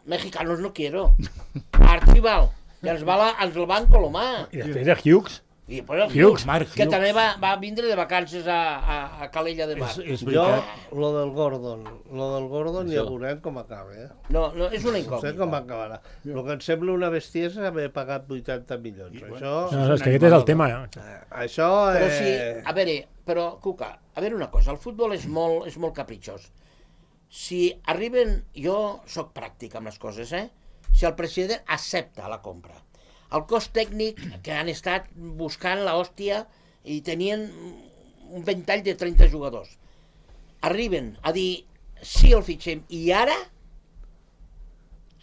mexicanos no quiero. Archibald, i ens el van colomar. I després de Hughes. I després el Hughes, que també va vindre de vacances a Calella de Mar. Jo, lo del Gordon ja veurem com acaba. No, és una incògnita. No sé com acabarà. El que em sembla una bestiesa haver pagat 80 milions. Això... No, és que aquest és el tema. Això... Però sí, a veure, però, Cuca, a veure una cosa, el futbol és molt capritxós. Si arriben... Jo sóc pràctic amb les coses, si el president accepta la compra, el cos tècnic, que han estat buscant l'hòstia i tenien un ventall de 30 jugadors, arriben a dir sí el fitxem i ara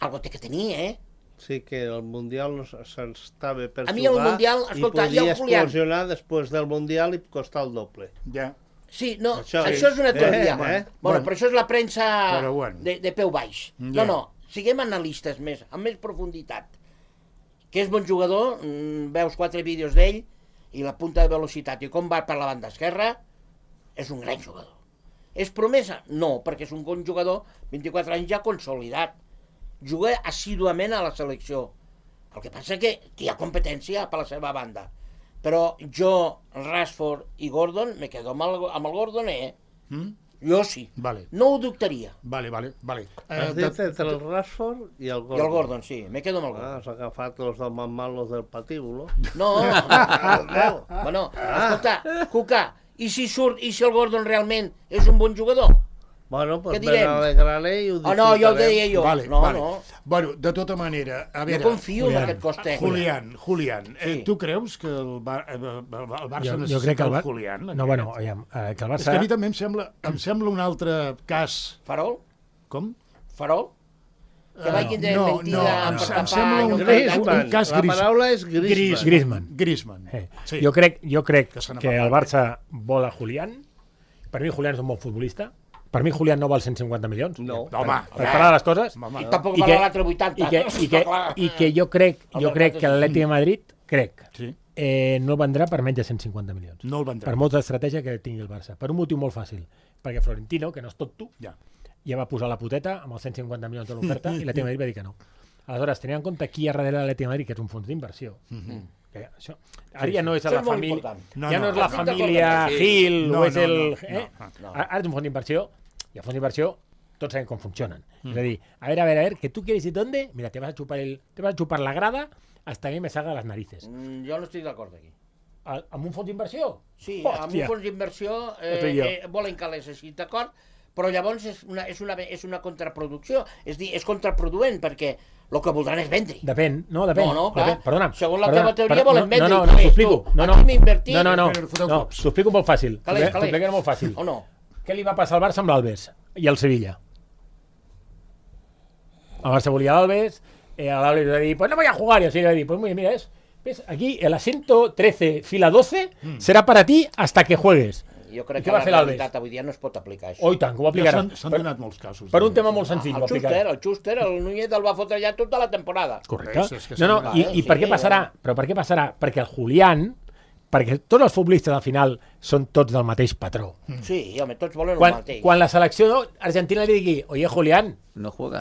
algo té que tenir, Sí, que el Mundial s'estava per a mi el Mundial, escolta, i podia explosionar després del Mundial i costar el doble. Ja. Sí, no, això és una teoria. Bueno, però això és la premsa de peu baix. No, siguem analistes més, amb més profunditat. Que és bon jugador, veus 4 vídeos d'ell i la punta de velocitat i com va per la banda esquerra, és un gran jugador. És promesa? No, perquè és un bon jugador, 24 anys ja consolidat. Juga assíduament a la selecció. El que passa que hi ha competència per la seva banda. Però jo, Rashford i Gordon, me quedo amb el Gordon, Jo sí. Vale. No ho dubtaria. Vale. Has dit entre el Rashford i el Gordon. I el Gordon, sí. Me quedo amb el Gordon. Has agafat els del malos del patíbulo. No. Bueno, escolta, Cuca, i si el Gordon realment és un bon jugador? Bueno, pues ben alegraré i ho disfrutarem. No, jo ho deia jo. Vale. Bueno, de tota manera, a veure... Jo confio en aquest cos tècnic. Julián, tu creus que el Barça necessita el Julián? No, bueno, aviam, que el Barça... És que a mi també em sembla un altre cas... Farol? Com? Farol? Que vagin de mentida per tapar... Em sembla un cas La paraula és Griezmann. Jo crec que el Barça vol a Julián. Per mi Julián és un bon futbolista. Per mi Julián no val 150 milions. No. Home, per parlar de les coses. I tampoc val l'altre 80. I que jo crec que l'Atlètic de Madrid, no el vendrà per menys de 150 milions. No el vendrà. Per molta estratègia que tingui el Barça. Per un motiu molt fàcil. Perquè Florentino, que no és tot tu, ja va posar la puteta amb els 150 milions de l'oferta i l'Atlètic de Madrid va dir que no. Aleshores, tenint en compte qui hi ha darrere l'Atlètic de Madrid, que és un fons d'inversió. Això, ara ja no és la família, ja no és la família Gil, o és el... Ara és un fons d'inversió, i el fons d'inversió tots sabem com funcionen. És a dir, a ver, que tu quieres ir dónde, mira, te vas a chupar la grada hasta que me salga las narices. Jo no estic d'acord aquí. Amb un fons d'inversió? Sí, amb un fons d'inversió volen que les estigui d'acord, però llavors és una contraproducció, és dir, és contraproduent, perquè el que voldran és vendre. Depèn. No, clar. Perdona'm. Segons la teva teoria volen vendre. No, t'ho explico. No, t'ho explico molt fàcil. T'ho explico molt fàcil. O no? Què li va passar al Barça amb l'Albes i al Sevilla? El Barça volia l'Albes, l'Albes va dir, pues no voy a jugar, y así va dir, pues muy bien, mira, ¿ves? Aquí el asiento 13, fila 12, será para ti hasta que juegues. Jo crec que la realitat avui dia no es pot aplicar això. Oh, i tant, que ho aplicaran. S'han donat molts casos. Per un tema molt senzill. El Schuster, el Núñez el va fotre ja tota la temporada. Correcte. I per què passarà? Però per què passarà? Perquè el Julián, perquè tots els futbolistes al final són tots del mateix patró. Sí, home, tots volen el mateix. Quan la selecció argentina li digui, oye, Julián,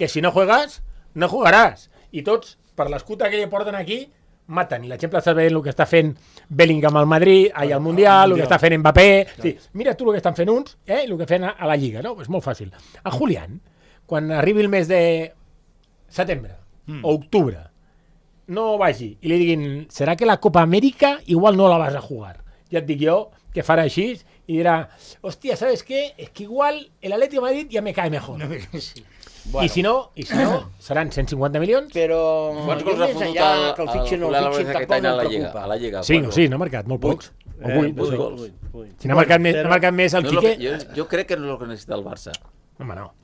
que si no juegas, no jugaràs. I tots, per l'escut que li porten aquí, maten. I l'exemple està veient el que està fent Bellingham al Madrid, al Mundial, el que està fent Mbappé. Sí, mira tu el que estan fent uns i el que fan a la Lliga, no? És molt fàcil. A Julián, quan arribi el mes de setembre o octubre, no vagi i li diguin, serà que la Copa Amèrica igual no la vas a jugar. Ja et dic jo que farà així i dirà, hòstia, ¿sabes qué? Es que igual el Atlético de Madrid ya me cae mejor. Sí. Bueno. I si no, seran 150 milions. Però Quants jo gols ha més fotut enllà que el fitxin o el fitxin tampoc no em preocupa. A la Lliga? 5 o 6, n'ha marcat, molt pocs. O 8. 8 gols. Si n'ha marcat més el Quique... Jo crec que no és el que necessita el Barça. Home, no.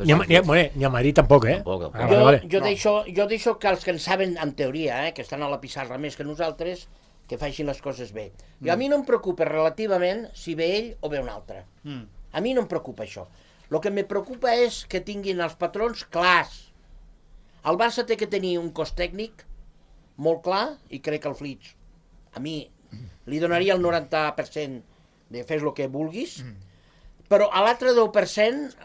Ni a Madrid tampoc, eh? Tampoc. Jo deixo que els que en saben, en teoria, que estan a la pissarra més que nosaltres, que facin les coses bé. I a mi no em preocupa relativament si ve ell o ve un altre. A mi no em preocupa això. El que me preocupa és que tinguin els patrons clars. El Barça té que tenir un cos tècnic molt clar i crec que el Flix a mi li donaria el 90% de fes el que vulguis, però a l'altre 10%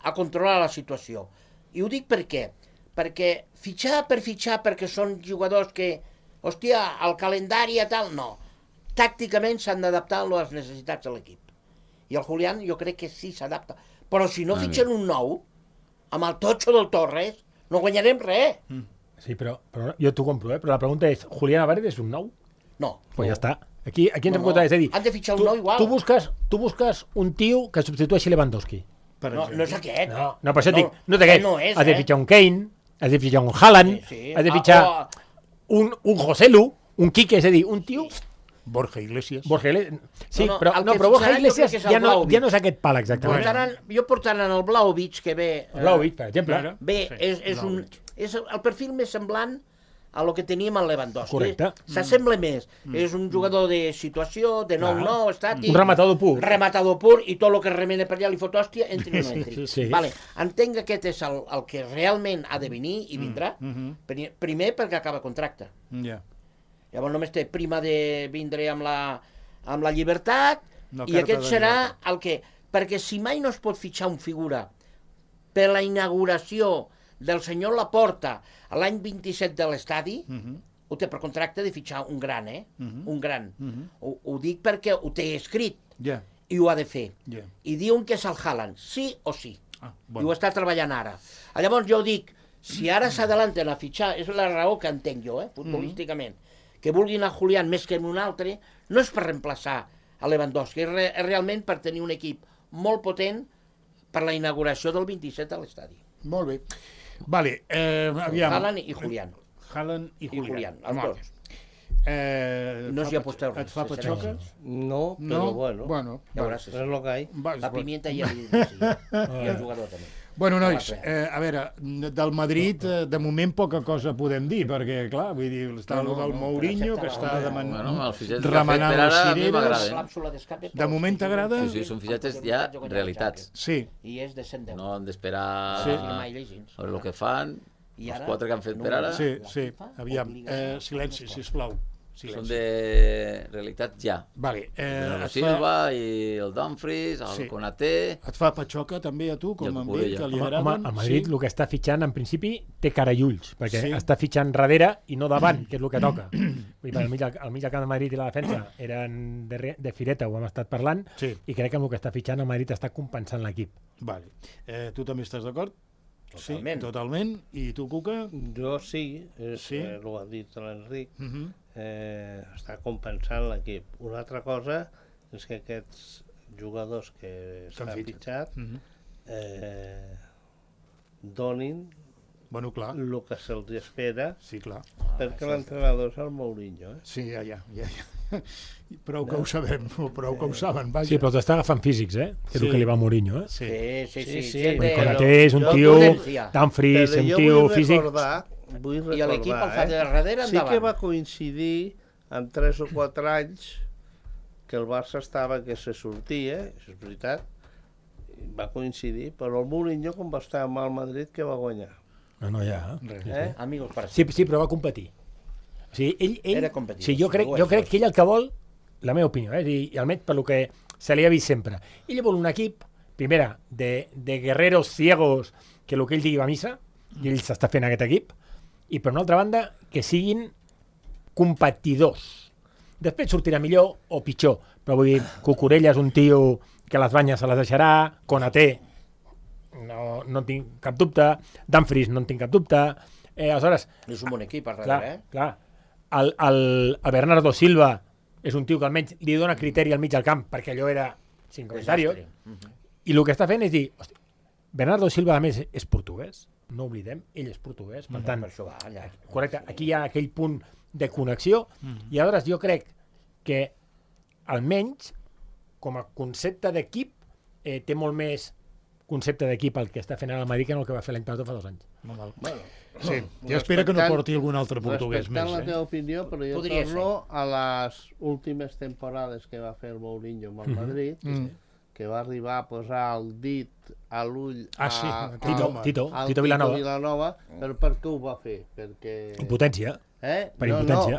a controlar la situació. I ho dic per què? Perquè fitxar per fitxar perquè són jugadors que, hòstia, el calendari i tal, no. Tàcticament s'han d'adaptar a les necessitats de l'equip. I el Julián jo crec que sí s'adapta. Però si no fitxen un nou, amb el totxo del Torres, no guanyarem res. Sí, però jo t'ho compro, però la pregunta és, Julián Álvarez és un nou? No. Pues ja està. Aquí ens hem comptat, és a dir... Han de fitxar un nou igual. Tu busques un tio que substitueixi Lewandowski. No és aquest. No, per això et dic, no té aquest. No és, has de fitxar un Kane, has de fitxar un Haaland, has de fitxar un Joselu, un Quique, és a dir, un tio... Borja Iglesias. Sí, però Borja Iglesias ja no és aquest pal exactament. Jo portaran el Vlahovic, que ve... Vlahovic, per exemple. Bé, és el perfil més semblant a lo que teníem en Lewandowski. Correcte. S'assembla més. És un jugador de situació, de 9-9, estàtic... Un rematador pur. Rematador pur, i tot el que remena per allà li fot hòstia, entri o no entri. Sí. Vale. Entenc que aquest és el que realment ha de venir i vindrà. Primer perquè acaba contracte. Llavors només té prima de vindre amb la llibertat i aquest serà el que... Perquè si mai no es pot fitxar un figura per la inauguració del senyor Laporta a l'any 27 de l'estadi, ho té per contracte de fitxar un gran, un gran. Ho dic perquè ho té escrit i ho ha de fer. I diuen que és el Haaland, sí o sí. I ho està treballant ara. Llavors jo dic, si ara s'adelanten a fitxar, és la raó que entenc jo, futbolísticament, que vulguin a Julián més que un altre, no és per reemplaçar a Lewandowski, és realment per tenir un equip molt potent per la inauguració del 27 a l'estadi. Molt bé. Vale, aviam. Haaland i Julián. Haaland i Julián. Els dos. No s'hi aposteu res. Et fa patxoca? No, però bueno. Ja veuràs. És el que hi ha. La pimienta ja li i el jugador també. Bueno, nois, a veure, del Madrid, de moment poca cosa podem dir, perquè, clar, vull dir, està el del Mourinho, que està remenant les cireres. De moment t'agrada? Sí, són fitxatges ja realitats. Sí. I és de 110. No han d'esperar a veure el que fan, els 4 que han fet per ara. Sí, aviam, silenci, sisplau. Són de realitat ja. Vale. El Silva i el Dumfries, el Konaté... Et fa patxoca també a tu, com amb ell, que li agraden? Home, el Madrid el que està fitxant, en principi, té cara i ulls, perquè està fitxant darrere i no davant, que és el que toca. Al mig del camp de Madrid i la defensa eren de fireta, ho hem estat parlant, i crec que amb el que està fitxant el Madrid està compensant l'equip. Vale. Tu també estàs d'acord? Totalment. Sí, totalment. I tu, Cuca? Jo sí, ho ha dit l'Enric, està compensant l'equip. Una altra cosa és que aquests jugadors que s'han fitxat donin el que se'ls espera, perquè l'entrenador és el Mourinho. Sí, ja. Prou que ho sabem, prou que ho saben. Sí, però t'està agafant físics, que és el que li va a Mourinho. Sí. Konaté és un tio, Dumfries, un tio físic. Vull recordar, i l'equip el fa de darrere endavant. Sí que va coincidir en 3 o 4 anys que el Barça estava que se sortia, és veritat, va coincidir, però el Mourinho, com va estar amb el Madrid, que va guanyar. No, ja. Amigos para sí, però va competir. O sigui, ell era competitiu. Sí, jo crec que ell el que vol, la meva opinió, i almenys per lo que se li ha vist sempre, ell vol un equip, primera, de guerreros ciegos, que el que ell digui va a missa, i ell s'està fent aquest equip, i per una altra banda, que siguin competidors. Després sortirà millor o pitjor, però vull dir, Cucurella és un tio que les banyes se les deixarà, Konaté no en tinc cap dubte, Dumfries no en tinc cap dubte, aleshores... És un bon equip, a Clar, darrere, clar. El Bernardo Silva és un tio que almenys li dona criteri al mig del camp, perquè allò era sin comentarios, i el que està fent és dir, hosti, Bernardo Silva, a més, és portuguès, no oblidem, ell és portuguès, per tant, Per això va, allà. correcte, aquí hi ha aquell punt de connexió, i aleshores jo crec que almenys com a concepte d'equip té molt més concepte d'equip el que està fent ara el Madrid que no el que va fer l'any passat fa 2 anys. Bueno, Sí, jo espero que no porti algun altre portuguès més. respectant la teva opinió, però jo Podria torno a les últimes temporades que va fer el Mourinho amb el Madrid, que va arribar a posar el dit a l'ull Sí, Tito al Vilanova. però per què ho va fer? Perquè... Impotència. Per No, impotència.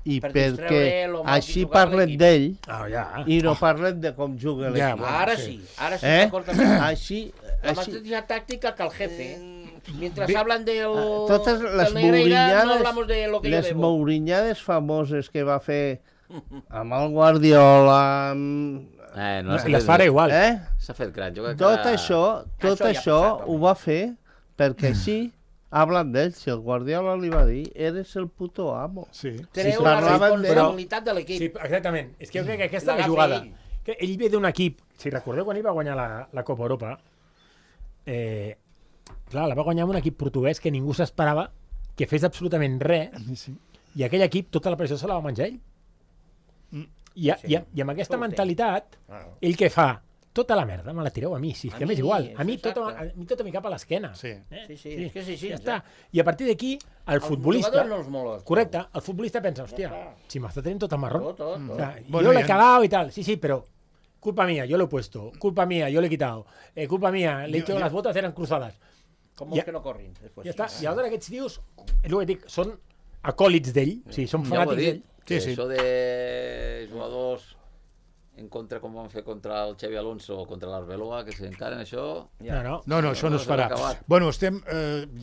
i Per perquè distreure lo mal que així jugava parlem l'equip. d'ell Ja. i no parlem de com juga Ja, l'equip. bueno, Ara sí. sí, d'acord amb Així, la així, mateixa táctica que el jefe. Mientras hablan del totes les Negreira, no hablamos de lo que yo les debo. mourinyades famoses que va fer amb el Guardiola, amb... No, I les farà igual. S'ha fet gran. Jo crec Tot que... això ja ha passat, ho va fer perquè així hablen d'ell. Si el Guardiola li va dir, eres el puto amo. Sí. Treu sí, la parlaven de- responsabilitat de l'equip. Sí, exactament. És que jo crec que aquesta és la L'agafa jugada. ell. Que ell ve d'un equip, si recordeu quan ell va guanyar la Copa Europa, clar, la va guanyar amb un equip portuguès que ningú s'esperava que fes absolutament res, Sí. i aquell equip tota la pressió se la va menjar ell. I amb aquesta Això ho té. mentalitat, ell què fa? Tota la merda me la tireu a mi, si és A que m'és mi, igual. A mi exacte. tota mi cap a l'esquena. Sí. Sí, és que és així. Ja està. I a partir d'aquí, el futbolista... jugador no els mola. Correcte, el futbolista pensa, hòstia, si m'està tenint tot el marrón. Tot. O sea, Bueno, yo le he ya- cagado y tal. Sí, pero culpa mía, yo lo he puesto. Culpa mía, yo le he quitado. Culpa mía, le he dicho que las botas eran cruzadas. Com Ja- vols que no corrin? Després. Ja està. I aleshores aquests tios, és el que dic, són acòlits d'ell, o sigui, són Ja ho he fanàtics dit, d'ell. que Sí, sí. això de jugadors en contra, com van fer contra el Xavi Alonso o contra l'Arbeloa, que s'encaren això... No. No, això no es farà. acabat. Bueno, estem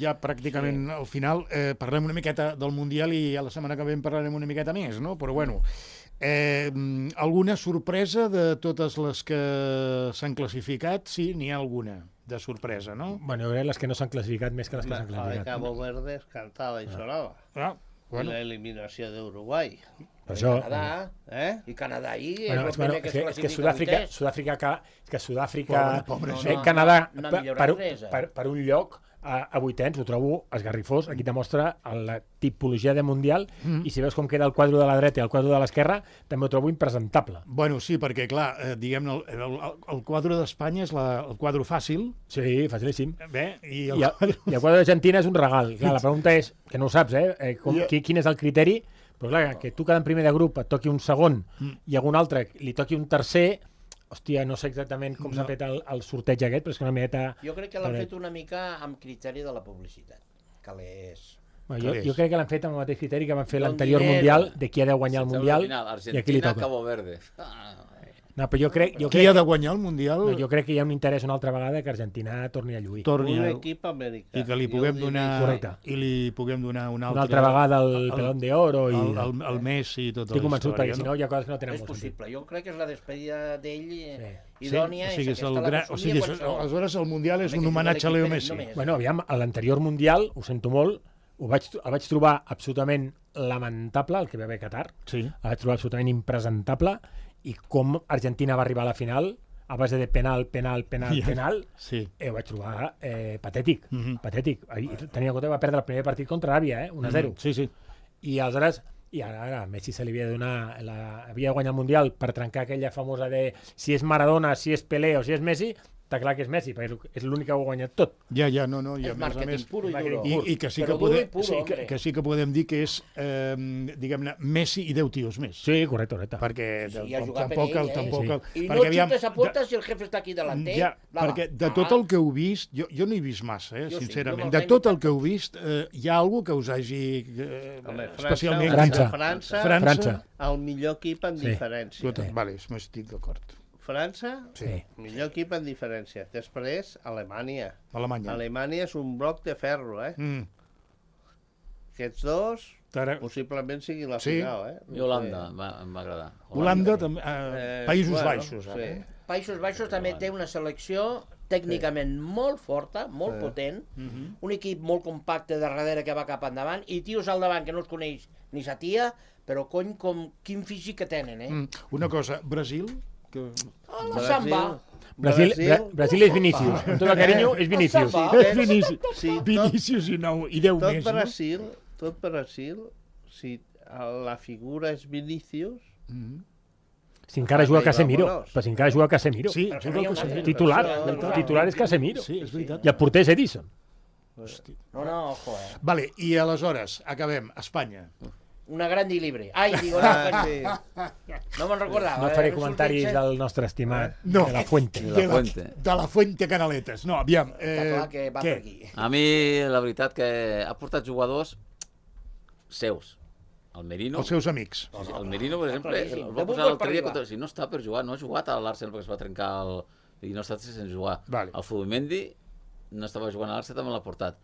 ja pràcticament al final. Parlem una miqueta del Mundial i a la setmana que ve en parlarem una miqueta més, no? Però bueno, alguna sorpresa de totes les que s'han classificat? Sí, n'hi ha alguna de sorpresa, no? Bueno, jo crec les que no s'han classificat més que les que s'han La de classificat. Cabo Verde és cantada i sonava. Ah, Bueno. L'eliminació d'Uruguai. Per això... Canadà, i Canadà ahí Bueno, és el bueno, primer que es és que classifica Sud-àfrica, Pobre, Canadà, no ha per, millorat res, per un lloc a vuitens, ho trobo esgarrifós. Aquí demostra la tipologia de Mundial, i si veus com queda el quadre de la dreta i el quadre de l'esquerra, també ho trobo impresentable. Bueno, sí, perquè, clar, diguem-ne, el quadre d'Espanya és el quadre fàcil, Sí, facilíssim. i I el quadre d'Argentina és un regal. Clar, la pregunta és, que no ho saps, quin és el criteri, però clar, que tu cada en primer de grup et toqui un segon i algun altre li toqui un tercer, hòstia, no sé exactament com s'ha fet el sorteig aquest, però és que una miqueta... Jo crec que l'han fet una mica amb criteri de la publicitat. Calés. Bueno, jo crec que l'han fet amb el mateix criteri que van fer Don l'anterior dinero. Mundial, de qui ha de guanyar el Mundial i a qui li Argentina, toca. Cabo Verde. No, però jo crec qui ha de guanyar el Mundial no, jo crec que hi ha un interès una altra vegada que Argentina torni a lluir. torni Un a... equip americà. I que li Jo puguem ho donar... Correcte. I li puguem donar una Una altra vegada el Pelón de Oro i... el Messi i tota Estic la convençut, història, perquè si no hi ha coses que no tenen És molt sentit. possible. Jo crec que és la despedida d'ell Sí, idònia. o sigui, és és el aquesta, la gran... que o somia sigui, qualsevol. aleshores el Mundial és Home, un que homenatge a jugui Leo l'equip Messi. només. Bueno, aviam, a l'anterior Mundial, ho sento molt, el vaig trobar absolutament lamentable, el que va haver a Qatar. Sí. El vaig trobar absolutament impresentable, i com Argentina va arribar a la final a base de penal, Sí. ho vaig trobar patètic, patètic. I tenia en compte que va perdre el primer partit contra Aràbia, 1-0. Sí, sí. I aleshores, ara Messi se li havia de donar, havia de guanyar el Mundial per trencar aquella famosa de si és Maradona, si és Pelé o si és Messi. Està clar que és Messi, perquè és l'únic que ho ha guanyat tot. Ja, no, i a És més a màrqueting més... puro i duro. I que sí Però que duro i podem, puro, sí, hombre. que sí que podem dir que és, diguem-ne, Messi i 10 tios més. Sí, correcte. Perquè Sí, ha jugat per tampoc... ell, tampoc I no perquè, aviam, xutes a puertas si el jefe està aquí delanter. Ja, perquè de tot el que heu vist, jo no he vist massa, Jo sí, sincerament, jo me'ls de he tot el imitat que heu vist, hi ha algú que us hagi Home, especialment... França. El millor equip en diferència. Escolta, vale, m'estic d'acord. França, Sí. millor equip en diferència. Després, Alemanya. Alemanya. Alemanya és un bloc de ferro, Mm. Aquests dos, Possiblement sigui la Sí. final, eh? I Holanda, em va agradar. Holanda, també, Països bueno, Baixos. sí. Països Baixos també té una selecció tècnicament molt forta, molt potent, un equip molt compacte de darrere que va cap endavant, i tios al davant que no es coneix ni sa tia, però cony, quin físic que tenen, eh? Una cosa, Brasil... Que... La samba. Brasil és Vinícius. Amb tot el carinyo, és Vinícius. És Vinícius. Sí, Vinícius i 10 més, no? Tot Brasil, si la figura és Vinícius... Si encara juga Casemiro. Vámonos. Però si encara juga Casemiro. Sí, Però juga no hi ha el una Casemiro. Titular és Casemiro. Sí, és veritat. I el porter és Edison. No, ojo, eh? Vale, i aleshores, acabem. Espanya. Una grande y libre. Ai, digo, Sí. no me'n recordava. No faré comentaris del nostre estimat No. de la Fuente. De la Fuente Canaletes. No, aviam. Està clar que va per aquí. A mi, la veritat, que ha portat jugadors seus. El Merino... Els seus amics. El Merino, per exemple, claríssim. el De va posar futbol l'altre per dia arribar. contra... Si no està per jugar, no ha jugat a l'Arsenal perquè es va trencar el... I no ha estat sense jugar. Vale. El Zubimendi no estava jugant a l'Arsenal, també l'ha portat.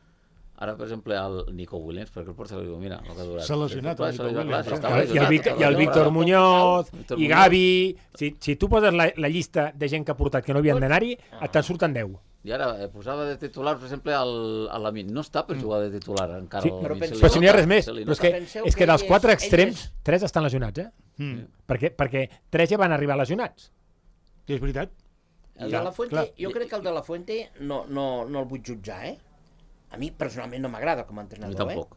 Ara, per exemple, el Nico Williams, perquè el porta li diu, mira, el que ha durat. S'ha lesionat el Nico Williams. I el Víctor Muñoz, i Gavi... Si tu poses la llista de gent que ha portat que no havien d'anar-hi, te'n surten 10. I ara posava de titular, per exemple, a Lamin. No està per jugar de titular encara. Sí, però si n'hi ha res més. Però és que dels 4 extrems, 3 estan lesionats, eh? Perquè 3 ja van arribar lesionats. És veritat. El de la Fuente, jo crec que el de la Fuente no el vull jutjar, eh? A mi personalment no m'agrada com a entrenador, tampoc.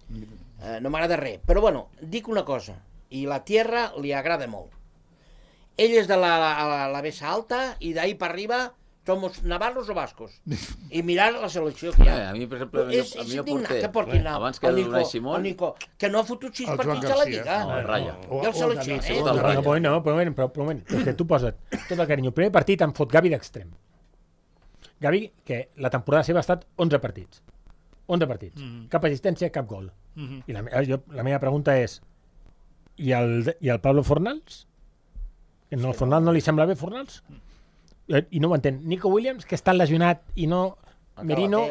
No m'agrada res. Però bueno, dic una cosa, i la Tierra li agrada molt. Ell és de la Bessa Alta i d'ahí per arriba somos navarros o vascos. I mirar la selecció que hi ha. A mi, per exemple, És indignant que portin abans que el Unai Simón, el Nico, que no ha fotut 6 El Joan partits a la Garcia. Lliga. el Raya. I el seleccioner. Tot el Raya. Però un moment, és que tu poses tot el carinyo. El primer partit em fot Gavi d'extrem. Gavi, que la temporada seva ha estat 11 partits. 11 partits. Cap assistència, cap gol. I la meva pregunta és, i el Pablo Fornals? El Fornals no li sembla bé, Fornals? I no ho entén. Nico Williams, que està lesionat i no... Merino,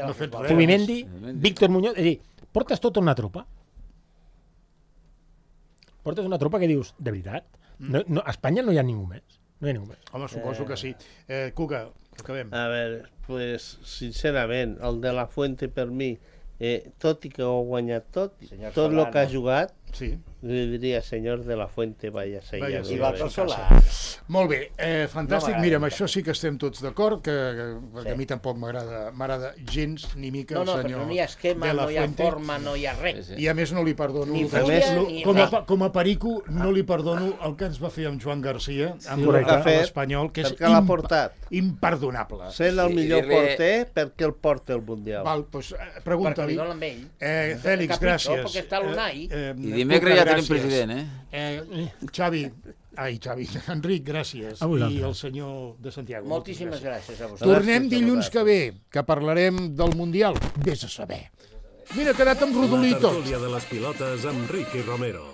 Zubimendi, Víctor Muñoz... És a dir, portes tota una tropa. Portes una tropa que dius, de veritat? No, a Espanya no hi ha ningú més. No hi ha ningú més. Home, suposo que sí. Cuca, acabem. A veure, pues, sincerament, el de la Fuente per mi, tot i que ho ha guanyat tot el que ha jugat, Sí. li diria, senyor de la Fuente, vaya ser Vaya ja. ser. I va per sola. Molt bé, fantàstic. No Mira, amb això sí que estem tots d'acord, perquè a mi tampoc m'agrada gens ni mica el No, senyor però no hi ha esquema, de la no hi ha Fuente. forma, no hi ha res. I a més no li perdono, Ni fúria, ni com a perico, no li perdono el que ens va fer amb Joan Garcia, amb correcte. l'Espanyol, que és Per què l'ha portat? imperdonable. Sent el millor porter, perquè el porta el Mundial. Val, doncs Perquè pregunta-li. li donen amb ell. Fèlix, Capritxo, gràcies. perquè està l'Unai. I dimecres ja tenim president, Xavi, Enric, gràcies. A vosaltres. I el senyor de Santiago. Moltíssimes gràcies a vosaltres. Tornem Gràcies a dilluns que ve, que parlarem del Mundial. Vés a saber. Mira, ha quedat amb La rodolí tot. tertúlia de les pilotes amb Ricky Romero.